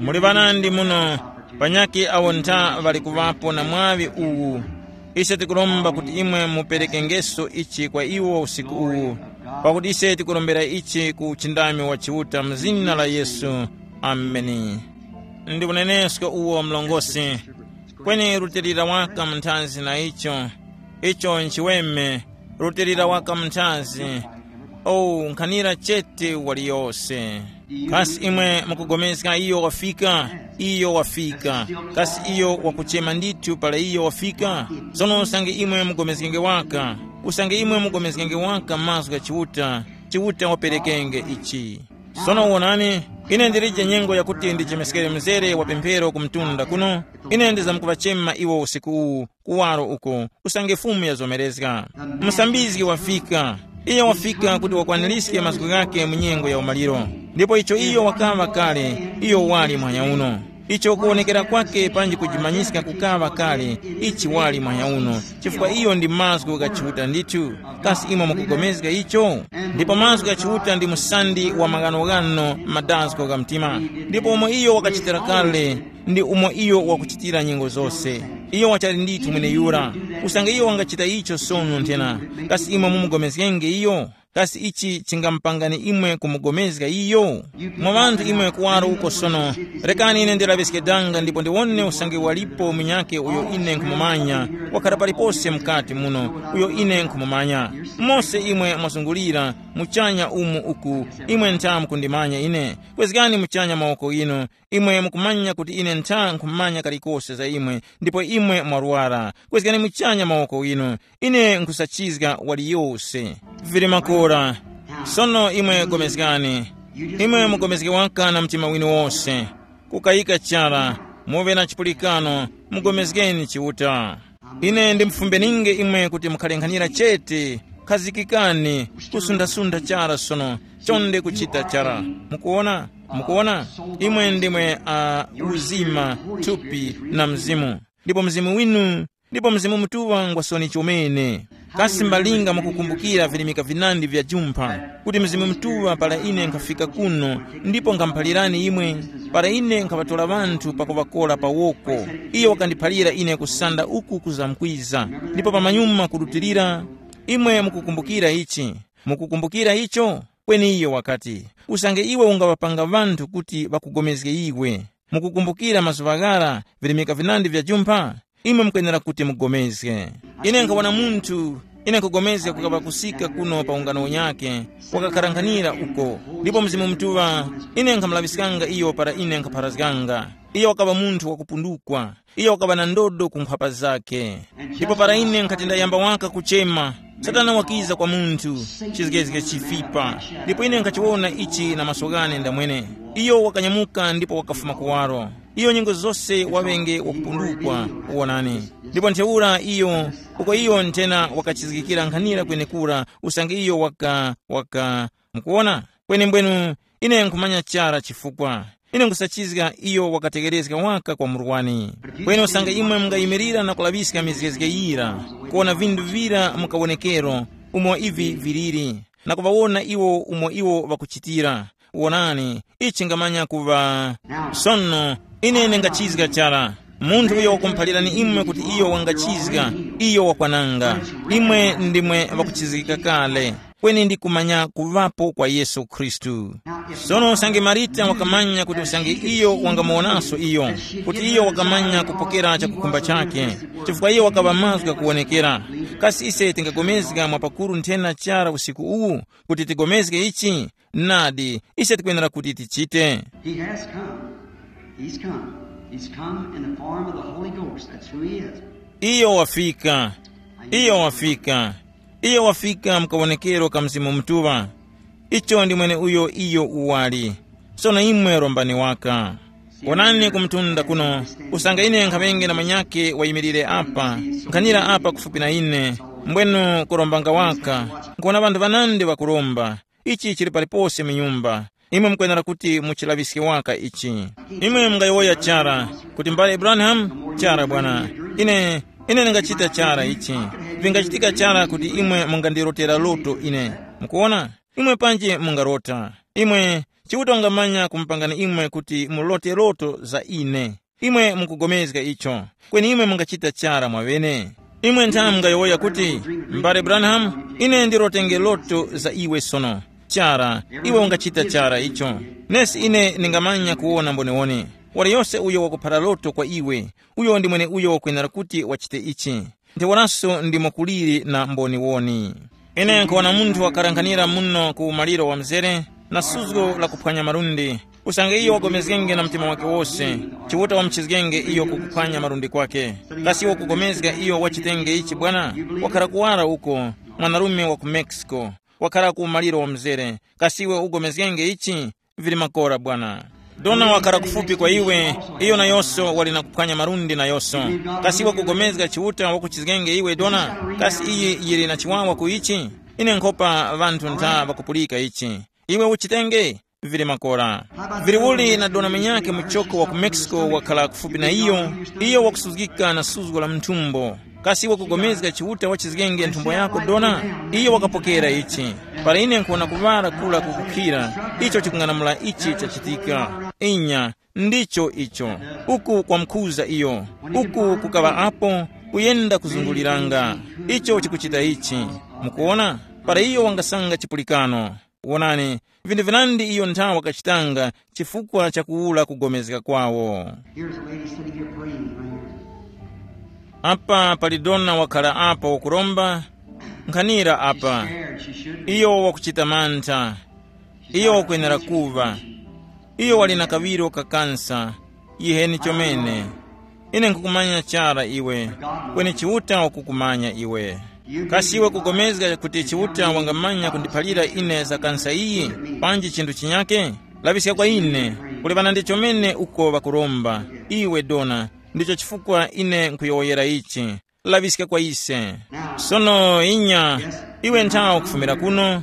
Muli ŵanandi muno, panyakhe awo ntha ŵali kuŵapo na mwaŵi uwu. Ise tikuromba kuti imwe muperekengeso ichi kwa iwo usiku uwu, pakuti ise tikurombera ichi ku uchindami wa Chiuta mu zina la Yesu. Ameni. Ndi unenesko uwo mlongosi, kweni rutilira waka munthazi na icho, icho nchiweme, rutilira waka munthazi. Oh, nkhanira chete waliyose. Kasi imwe mukugomezga iyo wafika? Iyo wafika. Kasi iyo wakuchema ndithu para iyo wafika? Sono usange imwe mugomezgenge waka, usange imwe mugomezgenge waka mazgu gha Chiuta, Chiuta waperekenge ichi. Sono wonani, ine ndilije nyengo yakuti ndichemeskere mzere wa pemphero ku mtunda kuno. Ine ndizamkuŵachema iwo usiku uwu, kuwaro uko, usange Fumu yazomerezga. Musambizgi wafika. Iyo wafika kuti wakwaniriske mazgu ghake mu nyengo ya umaliro. Ndipo icho iyo wakaŵa kale, iyo wali mwanya uno. Icho kuwonekera kwake panji kujimanyiska kukaŵa kale, ichi wali mwanya uno, chifukwa iyo ndi mazgu gha Chiuta ndithu. Kasi imwe mukugomezga icho? Ndipo mazgu gha Chiuta ndi msandi wa maghanoghano madazgo gha mtima. Ndipo umo iyo wakachitira kale, ndi umo iyo wakuchitira nyengo zose. Iyo wachali ndithu mweneyura. Usange iyo wangachita icho sono nthena, kasi imwe mumugomezgenge iyo? Kasi ichi chingamupangani imwe kumugomezga iyo? Mwa ŵanthu imwe kuwaro uko sono, rekani ine ndilaŵiske danga ndipo ndiwone usange walipo munyakhe uyo ine nkhumumanya, wakhala palipose mukati muno, uyo ine nkhumumanya. Mose imwe mwazungulira muchanya umu uku, imwe ntha mukundimanya ine. Kwezgani muchanya mawoko ghinu, imwe mukumanya kuti ine ntha nkhumanya kalikose za imwe, ndipo imwe mwarwara. Kwezgani muchanya mawoko ghinu, ine nkhusachizga waliyose. Vili makora. Sono imwe gomezgani. Imwe mugomezge waka na mtima winu wose. Kukayika chara, muve na chipulikano, mugomezgeni Chiuta. Ine ndimufumbeninge imwe kuti mukhale nkhanira chete, khazikikani, kusundha-sundha chara sono, chonde kuchita chara. Mukuona? Mukuona? Imwe ndimwe uh, uzima, thupi na mzimu. Ndipo mzimu winu, ndipo Mzimu Mutuŵa ngwa soni chomene. Kasi mbalinga mukukumbukira virimika vinandi vya jumpha, kuti Mzimu Mutuŵa para ine nkhafika kuno, ndipo nkhamuphalirani imwe, para ine nkhaŵatora ŵanthu pakuŵakora pa woko, iyo wakandiphalira ine kusanda uku kuzamkwiza, ndipo pamanyuma kurutilira. Imwe mukukumbukira ichi? Mukukumbukira icho? Kweni iyo wakati, usange iwe ungaŵapanga ŵanthu kuti ŵakugomezge iwe, mukukumbukira mazuŵa ghara virimika vinandi vya jumpha, imwe mukwenera kuti mugomezge. Ine nkhawana munthu, ine nkugomezga kukaŵa kusika kuno pa ungano unyakhe, wakakharankhanira uko, ndipo Mzimu Mutuŵa, ine nkhamulaŵiskanga iyo para ine nkhapharazganga. Iyo wakaŵa munthu wakupundukwa. Iyo wakaŵa na ndodo ku nkhwapa zakhe. Ndipo para ine nkhati ndayamba waka kuchema, Satana wakiza kwa munthu, chizgezge chifipa. Ndipo ine nkhachiwona ichi na maso ghane ndamwene. Iyo wakanyamuka ndipo wakafuma kuwaro. Iyo nyengo zose waŵenge wakupundukwa, uwonani. Ndipo ntheura iyo, uko iyo nthena wakachizgikira nkhanira kwenekura, usange iyo waka waka. Mukuwona? Kwenembwenu, ine nkhumanya chara chifukwa. Ine nkhusachizga iyo wakategherezga waka kwa murwani. Kweni usange imwe mungayimirira na kulaŵiska mizgezge yira, kuwona vinthu vira mu kawonekero, umo ivi viliri, na kuŵawona iwo umo iwo ŵakuchitira, wonani, ichi chingamanya kuŵa. Sono, ine ndingachizga chara. Munthu uyo wakumuphalirani imwe kuti iyo wangachizga, iyo wakwananga. Imwe ndimwe ŵakuchizgika kale, kweni ndi kumanya kuŵapo kwa Yesu Khristu. Sono usange Marita wakamanya kuti usange iyo wangamuwonanso iyo, kuti iyo wakamanya kupokera chakukhumba chakhe, chifukwa iyo wakaŵa mazgu ghakuwonekera. Kasi ise tingapulikana mwapakuru nthena chara usiku uwu kuti tigomezge ichi? Nadi, ise tikwenera kuti tichite. He has come. He's come. He's come in the form of the Holy Ghost. That's who he is. Iyo wafika. Iyo wafika. Iyo wafika mkawonekero ka Mzimu Mutuŵa. Icho ndi mwene uyo iyo uwali. Sono imwe rombani waka. Wonani ku mtunda kuno, usange ine nkhaŵenge na manyake wayimirire apa, nkhanira apa kufupi na ine, mbwenu kurombanga waka, nkuwona ŵanthu ŵanandi ŵakuromba. Ichi chili palipose mu nyumba. Imwe mukwenera kuti muchilaŵiske waka ichi. Imwe mungayowoya chara kuti, mbale Abrahamu, chara bwana, ine ine ndingachita chara ichi. Vingachitika chara kuti imwe mungandirotera loto ine. Mukuona? Imwe panji mungarota. Imwe, Chiuta ungamanya kumupangani imwe kuti mulote loto za ine. Imwe mukugomezga icho. Kweni imwe mungachita chara mwaŵene. Imwe nthamu mungayowoya kuti, mbale Branham, ine ndirotenge loto za iwe sono. Chara, iwe ungachita chara icho. Nesi ine ningamanya kuwona mboniwoni. Wali yose uyo wakuphara loto kwa iwe, uyo ndi mweneuyo wakwenera kuti wachite ichi. Ntheuraso ndimo kuliri na mboniwoni. Ine nkhuwona munthu wakarankhanira muno ku umaliro wa mzere, na suzgo la kuphwanya malundi. Usange iyo wagomezgenge na mtima wake wose, Chiuta wamuchizgenge iyo kukuphwanya malundi kwake. Kasi iwe ukugomezga iyo wachitenge ichi bwana? Wakhara kuwara uko, mwanarume wa ku Mexico, wakhara ku umaliro wa mzere. Kasi iwe ugomezgenge ichi? Vili makora bwana. Dona wakhala kufupi kwa iwe, iyo nayonso wali na kuphwanya malundi nayonso. Kasi iwe kugomezga Chiuta wakuchizgenge iwe dona? Kasi iyi yili na chiwawa ku ichi? Ine nkhopa ŵanthu ntha ŵakupulika ichi. Iwe uchitenge? Vili makora. Vili uli na dona munyakhe muchoko wa ku Mexico wakhala kufupi na iyo, iyo wakusuzgika na suzgo la mthumbo. Kasi wakugomezga Chiuta wachizgenge nthumbo yako dona? Iyo wakapokera ichi. Para ine nkuwona kuŵala kula kukukhira, icho chikung'anamula ichi chachitika. Inya, ndicho icho. Uku kwamkhuza iyo. Uku kukaŵa apo, kuyenda kuzunguliranga. Icho chikuchita ichi. Mukuona? Para iyo wangasanga chipulikano. Wonani, vinthu vinandi iyo nthawi wakachitanga chifukwa cha kuwula kugomezga kwawo. Here's a lady sitting here praying right here. Apa pali dona wakhala apa wakuromba, nkhanira apa. Scared she should be. Iyo wakuchita mantha. Iyo wakwenera kuva. Iyo wali na kaŵiro ka kansa. Yiheni chomene. Ine nkukumanya chara iwe, kweni Chiuta wakukumanya iwe. Kasi iwe kugomezga kuti Chiuta wangamanya kundiphalira ine za kansa iyi, panji chinthu chinyake? Laŵiska kwa ine, kulebana ndi chomene uko ŵakuromba. Iwe dona, ndicho chifukwa ine nkuyowoyera ichi. Laŵiska kwa ise. Sono inya, iwe nthawe ukufumira kuno,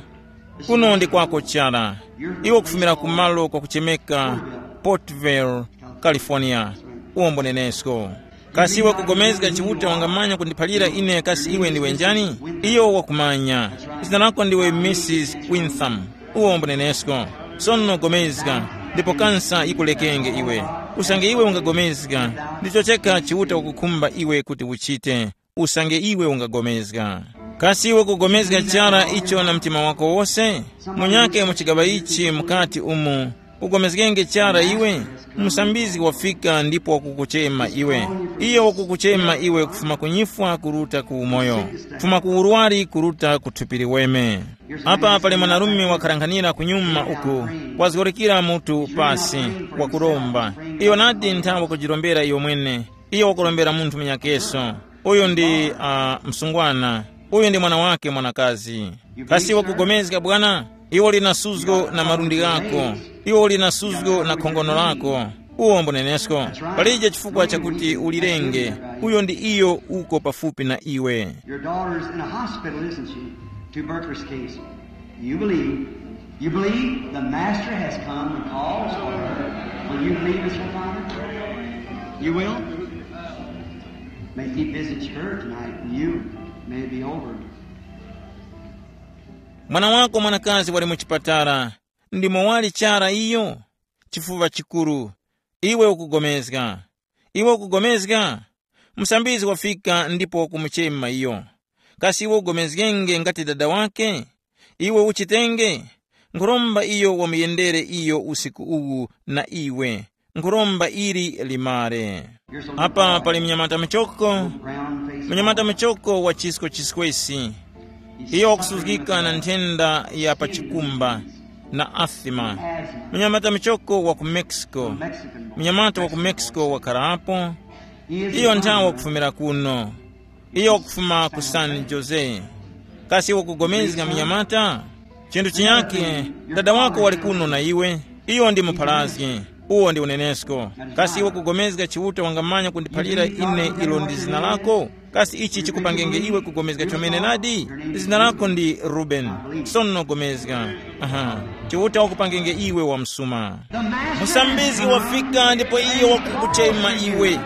kuno ndi kwako chara. Iwe ukufumira ku malo kwakuchemeka Portville, California. Uwombo nenesko. Kasi iwe kugomezga Chiuta wangamanya kundiphalira ine kasi iwe ndiwe njani? Iyo wakumanya. Zina lako ndiwe Missus Wintham. Uwombo nenesko. Sono gomezga, ndipo kansa yikulekenge iwe. Usange iwe ungagomezga, ndicho cheka Chiuta wakukhumba iwe kuti uchite. Usange iwe ungagomezga. Kasi iwe kugomezga chara icho na mtima wako wose? Munyake mu chigaŵa ichi mukati umu, ugomezgenge chara iwe? Musambizgi wafika ndipo wakukuchema iwe. Iyo wakukuchema iwe kufuma ku nyifwa kuruta ku umoyo, kufuma ku urwari kuruta ku thupi liweme. Apa pali mwanarume wakharanghanira kunyuma uku, wazgorokera mutu pasi, wakuromba. Iyo nadi nthawe kujirombera iyo mwene. Iyo wakurombera munthu munyakeso. Uyu ndi uh, msungwana. Uyu ndi mwana wake mwanakazi. Kasi wakugomezga bwana? Iwo lina suzgo na malundi ghako. Iwo lina suzgo na khongono lako. Uwo mbunenesko. Palije chifukwa chakuti ulirenge. Uyo ndi iyo uko pafupi na iwe. Your daughter's in a hospital, isn't she? Tuberculosis case. You believe. You believe the Master has come and calls for her. Will you believe, Mister Father? You will? May he visit her tonight and you may be over. Mwana wako mwanakazi wali mu chipatala, ndimo wali chara iyo? Chifuva chikuru. Iwe ukugomezga. Iwe ukugomezga? Musambizgi wafika ndipo wakumuchema iyo. Kasi iwe ugomezgenge ngati dada wake? Iwe uchitenge? Nkhuromba iyo wamuyendere iyo usiku uwu na iwe. Nkhuromba ili limare. Apa pali mnyamata muchoko, mnyamata muchoko wa chisko chiskwesi. Iyo wakusuzgika na nthenda ya pa chikumba na asima. Mnyamata muchoko wa ku Mexico. Mnyamata wa ku Mexico wakharapo. Iyo nthawe wakufumira kuno. Iyo wakufuma ku San Jose. Kasi wakugomezga mnyamata? Chinthu chinyake, dada wako wali kuno na iwe. Iyo ndi mupharazgi. Uwo ndi unenesko. Kasi iwe kugomezga Chiuta wangamanya kundiphalira ine ilo ndi zina lako? Kasi ichi chikupangenge iwe kugomezga chomene nadi? Zina lako ndi Ruben. Sono gomezga. Aha. Chiuta wakupangenge iwe wamsuma. Musambizgi wafika ndipo iyo wakukuchema iwe.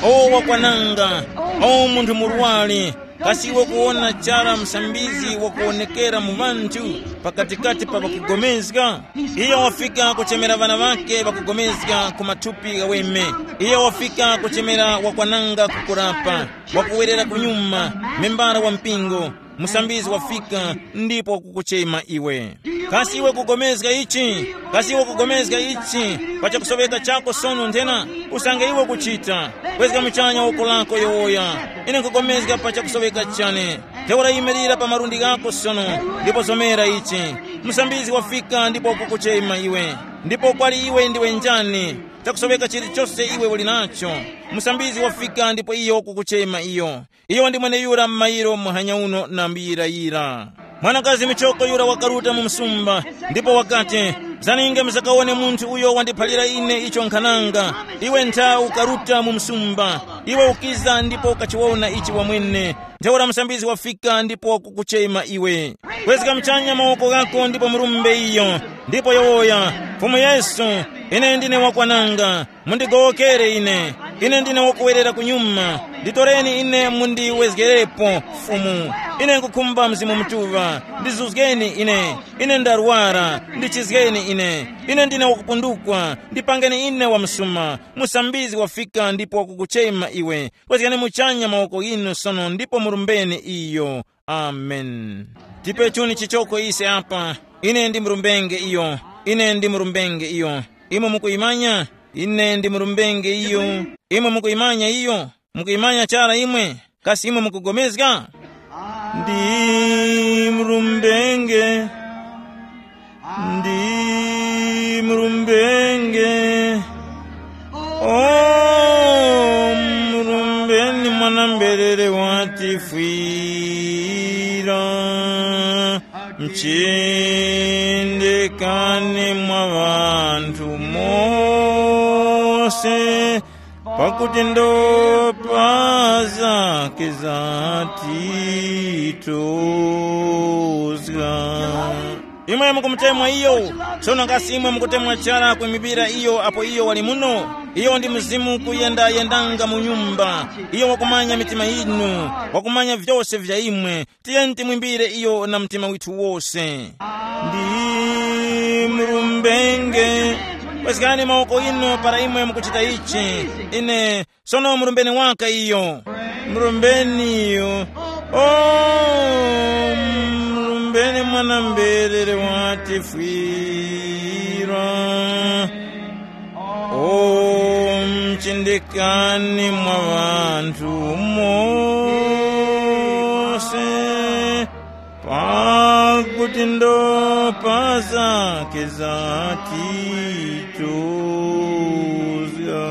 O wakwananga. O munthu murwari. Kasi iwe kuwona chara musambizgi wakuwonekera mu ŵanthu pakatikati pa ŵakugomezga? Iyo wafika kuchemera ŵana ŵakhe ŵakugomezga ku mathupi ghaweme. Iyo wafika kuchemera wakwananga kukurapa, wakuwerera kunyuma, membara wa mpingo. Musambizgi wafika ndipo wakukuchema iwe. Kasi iwe kugomezga ichi? Kasi iwe kugomezga ichi? Pa chakusoŵeka chako sono nthena, usange iwe kuchita, kwezga muchanya woko lako yowoya. Ine nkugomezga pa chakusoŵeka chane. Ntheura yimirira pa malundi ghako sono, ndipo zomera ichi. Musambizgi wafika ndipo wakukuchema iwe. Ndipo kwali iwe ndiwe njani? Chakusoŵeka chilichose iwe uli nacho. Musambizgi wafika ndipo iyo wakukuchema iyo. Iyo ndi mweneyura m'mayiro muhanya uno na mbuyirayira. Mwanakazi muchoko yura wakaruta mu msumba, ndipo wakati, zaninge muzakawone munthu uyo wandiphalira ine icho nkhananga. Iwe ntha ukaruta mu msumba, iwe ukiza ndipo ukachiwona ichi wamwene. Ntheura musambizgi wafika ndipo wakukuchema iwe. Kwezga mchanya mawoko ghako ndipo murumbe iyo, ndipo yowoya, Fumu Yesu, ine ndine wakwananga. Mundigowokere ine. Ine ndine wakuwerera kunyuma. Nditoreni ine mundiwezgerepo, Fumu. Ine nkukhumba Mzimu Mutuŵa. Ndizuzgeni ine. Ine ndarwara. Ndichizgeni ine. Ine ndine wakupundukwa. Ndipangeni ine wamsuma. Musambizgi wafika ndipo wakukuchema iwe. Kwezgani muchanya mawoko ghinu sono ndipo murumbeni iyo. Amen. Tipe chuni chichoko ise apa. Ine ndi murumbenge iyo. Ine ndi murumbenge iyo. Imwe mukuyimanya? Ine ndi murumbenge iyo. Imwe mukuyimanya iyo? Mukuyimanya chara imwe? Kasi imwe mukugomezga? Ndi murumbenge. Ndi murumbenge. O murumbeni mwana mberere watifwira. Mchindikani mwa ŵanthu mose, pakuti ndopa zake zatituzga. Imwe mukumutemwa iyo. Sono kasi imwe mukutemwa chara kuimibira iyo apo iyo wali muno? Iyo ndi mzimu kuyendayendanga mu nyumba. Iyo wakumanya mitima yinu, wakumanya vyose vya imwe. Tiyeni timwimbire iyo na mtima withu wose. Ndi murumbenge. Pweskani mawoko inu para imwe mukuchita ichi. Ine sono murumbeni waka iyo. Murumbeni iyo. O murumbeni mwana mberere watifwira. O mchindikani mwa ŵanthu mose, pakuti ndopa zake zatituzga.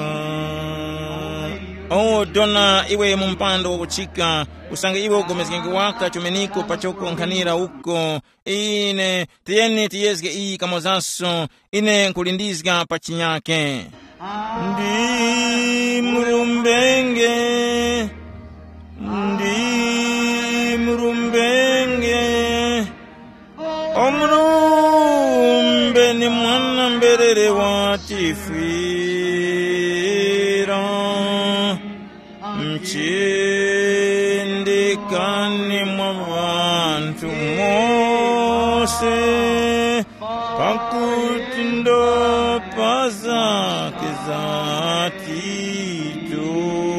O dona iwe mu mpando wakuchika, usange iwe ugomezgenge waka chumeniko pachokonkhanira uko. Ine tiyeni tiyezge iyi kamozanso. Ine nkulindizga pa chinyake. Ndi murumbenge. Ndi murumbenge. Omurumbe ni mwana mberere watifwira. Mchindikani mwa ŵanthu mose, pakuti ndopa zake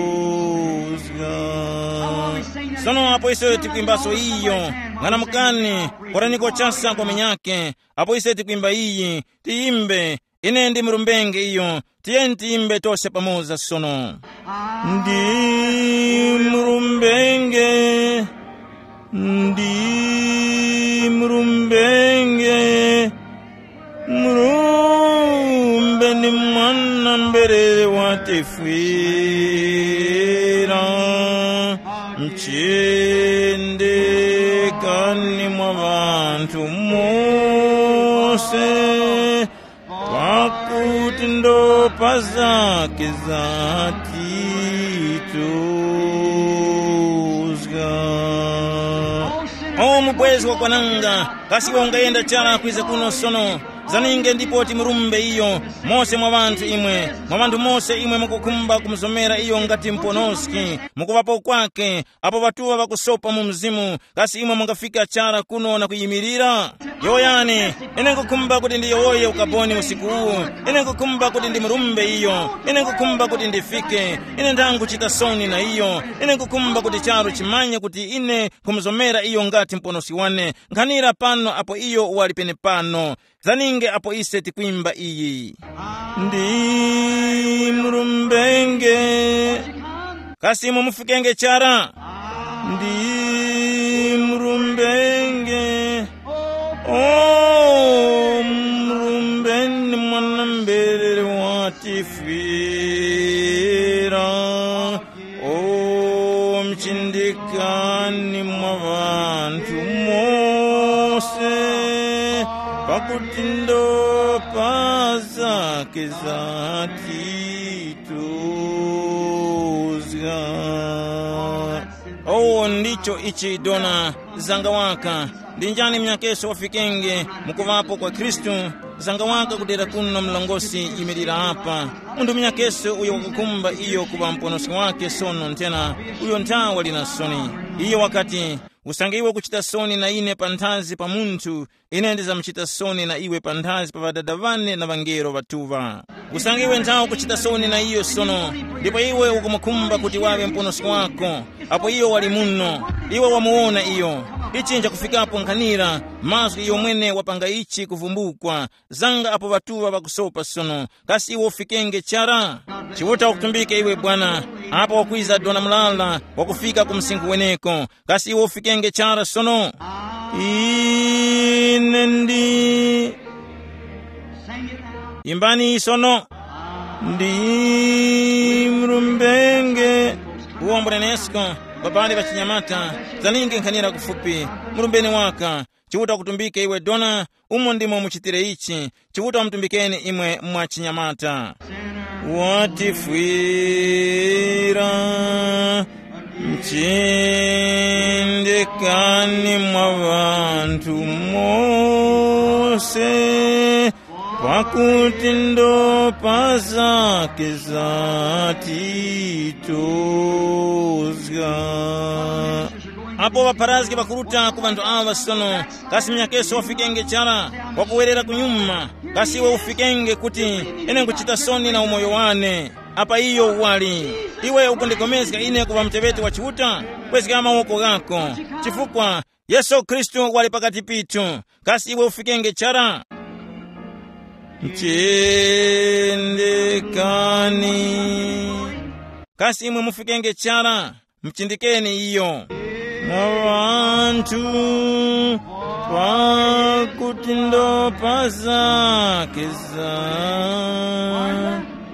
zatituzga. Sono apo ise tikwimbaso iyo, ng'anamukani, koraniko chasa kwa minyake. Apo ise tikwimba iyi, tiyimbe. Ine ndi murumbenge iyo. Tiyeni tiyimbe tose pamoza sono. Ndi murumbenge, ndi murumbenge, murumbe ni mwana mberere watefwira. Mchindikani mwa ŵanthu mose, pakuti ndo pa zake zatituzga. O mubwezi wakwananga, kasi iwe ungayenda chara kwiza kuno sono? Zaninge ndipo timurumbe iyo. Mose mwa ŵanthu imwe, mwa ŵanthu mose imwe mukukhumba kumuzomera iyo ngati muponoski, mukuŵapo kwake, apo ŵatuŵa ŵakusopa mu mzimu, kasi imwe mungafika chara kuno na kuyimirira? Yowoyani, ine nkukhumba kuti ndiyowoye ukaboni usiku uwu. Ine nkukhumba kuti ndimurumbe iyo. Ine nkukhumba kuti ndifike. Ine ndangachita soni na iyo. Ine nkukhumba kuti charu chimanye kuti ine nkhumuzomera iyo ngati muponoski wane. Nkhanira pano apo iyo wali penepano. Zaninge apo ise tikwimba iyi. Ndi mulumbenge. Kasi mumufikenge chara? Ndi mulumbenge. O mulumbeni mwana mberere watifwira. O mchindikani mwa ŵanthu mose, pakuti ndo pa zake zatituzga. Owo ndicho ichi dona zanga waka. Ndi njani mnyakeso wafikenge mukuŵapo kwa Khristu? Zanga waka kudera kuno mlongosi yimirira apa. Munthu mnyakeso uyo wakukhumba iyo kuŵa muponoski wake sono nthena, uyo nthawa lina soni. Iyo wakati, usange iwe ukuchita soni na ine panthazi pa munthu, ine ndizamuchita soni na iwe panthazi pa ŵadada ŵane na ŵangelo ŵatuŵa. Usange iwe nthawa ukuchita soni na iyo sono, ndipo iwe ukumukhumba kuti waŵe muponoski wako, apo iyo wali muno, iwe wamuwona iyo. Ichi nchakufikapo nkhanira, mazgu iyo mwene wapanga ichi kuvumbukwa, zanga apo ŵatuŵa ŵakusopa sono, kasi iwe ufikenge chara? Chiuta wakutumbike iwe bwana, apo wakwiza dona mulala wakufika ku msinkhu weneko, kasi iwe ufikenge chara sono? Ine ndi imbani sono. Ndi mlumbenge. Uwo mbunenesko, babali ŵachinyamata, zaninge nkhanira kufupi, mulumbeni waka. Chiuta wakutumbike iwe dona, umo ndimo muchitire ichi. Chiuta wamutumbikeni imwe mwa chinyamata. Watifwira mchindikani mwa ŵanthu mose, pakuti ndo pa zake zatituzga. Apo ŵapharazgi ŵakuruta ku ŵanthu aŵa sono, kasi mnyakeso wafikenge chara? Wakuwerera kunyuma, kasi iwe ufikenge kuti, ine nkuchita soni na umoyo wane? Apa iyo wali, iwe ukundigomezga ine kuŵa muteŵeti wa Chiuta? Kwezga mawoko ghako, chifukwa Yesu Khristu wali pakati pithu. Kasi iwe ufikenge chara? Mchindikani. Kasi imwe mufikenge chara? Mchindikeni iyo. Mwa ŵanthu, pakuti ndo pa zake za.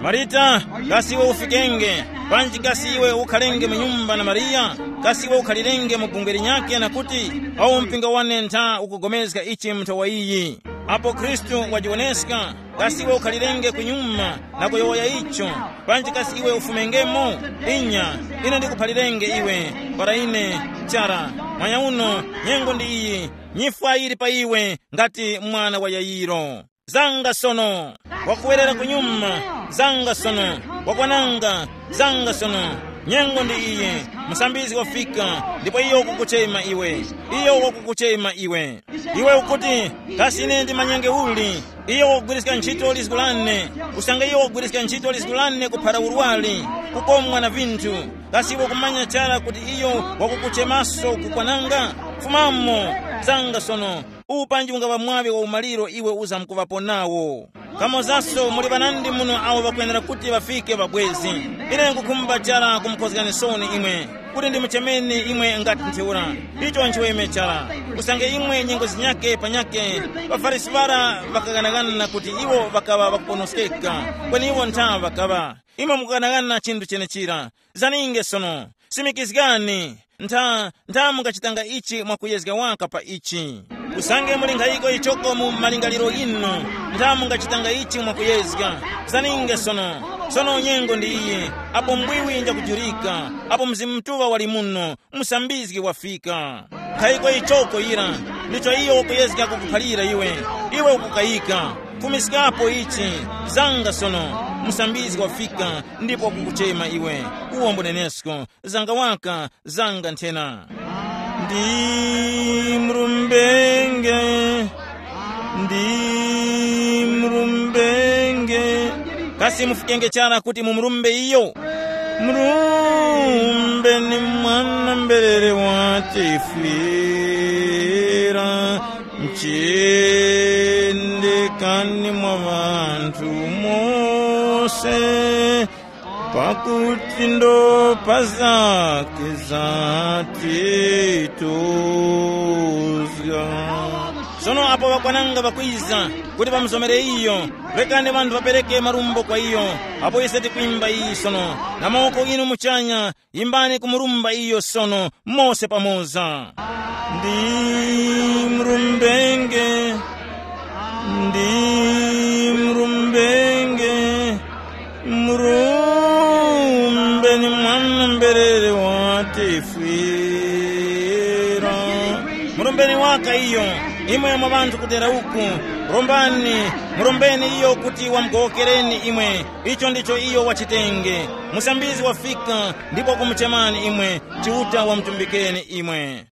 Marita, kasi iwe ufikenge? Panji kasi iwe ukhalenge mu nyumba na Mariya? Kasi iwe ukhalirenge mu bungwe linyakhe na kuti, awo mpingo wane ntha ukugomezga ichi mu nthowa iyi? Apo Khristu wajiwoneska, kasi iwe ukhalirenge ku nyuma na kuyowoya icho? Panji kasi iwe ufumengemo? Inya, ine ndikuphalirenge iwe, para ine chara, manyauno, nyengo ndi iyi, nyifwa yili pa iwe ngati mwana wa Yayiro. Zanga sono, wakuwerera kunyuma. Zanga sono, wakwananga. Zanga sono, nyengo ndi iyi, musambizgi wafika, ndipo iyo wakukuchema iwe. Iyo wakukuchema iwe. Iwe ukuti, kasi ine ndimanyenge uli? Iyo wakugwiriska ntchito lizgu lane. Usange iyo wakugwiriska ntchito lizgu lane kuphara urwari, kukomwa na vinthu, kasi iwe ukumanya chara kuti iyo wakukuchemaso kukwananga? Fumamo. Zanga sono, uwu panji ungaŵa mwaŵi wa umaliro iwe uzamkuŵapo nawo. Kamozaso muli ŵanandi muno awo ŵakwenera kuti ŵafike ŵabwezi. Ine nkukhumba chara kumukhozgani soni imwe, kuti ndimuchemeni imwe ngati ntheura. Icho nchiweme chara. Usange imwe nyengo zinyakhe panyakhe, ŵaFarisi ŵara ŵakaghanaghana kuti iwo ŵakaŵa ŵakuponoskeka, kweni iwo ntha ŵakaŵa. Imwe mukughanaghana chinthu chenechira. Zaninge sono, simikizgani. Ntha, ntha mungachitanga ichi mwakuyezga waka pa ichi. Usange muli nkhayiko ichoko mu malingaliro ghinu, ntha mungachitanga ichi mwakuyezga. Zaninge sono. Sono nyengo ndi iyi, apo mbwiwi njakujurika, apo Mzimu Mutuŵa wali muno, musambizgi wafika. Nkhayiko ichoko yira, ndicho iyo wakuyezga kukuphalira iwe. Iwe ukukayika. Fumiskapo ichi, zanga sono, musambizgi wafika, ndipo wakukuchema iwe. Uwo mbunenesko, zanga waka, zanga nthena. Ndi mrumbenge, ndi mrumbenge. Kasi mufikenge chara kuti mumurumbe iyo? Murumbe ni mwana mberere watifwira, mchindikani mwa ŵanthu mose, pakuti ndopa zake zatituzga. Sono apo ŵakwananga ŵakwiza kuti ŵamuzomere iyo, rekani ŵanthu ŵapereke marumbo kwa iyo. Apo ise tikwimba iyi sono, na mawoko inu muchanya, yimbani kumurumba iyo sono, mose pamoza. Ndi mrumbenge, ndi mrumbenge, murumbe ni mwana mberere watifwira. Murombeni waka iyo, imwe mwa ŵanthu kudera uku, rombani, murombeni iyo kuti wamugowokereni imwe. Icho ndicho iyo wachitenge. Musambizi wafika ndipo kumuchemani imwe, Chiuta wamutumbikeni imwe.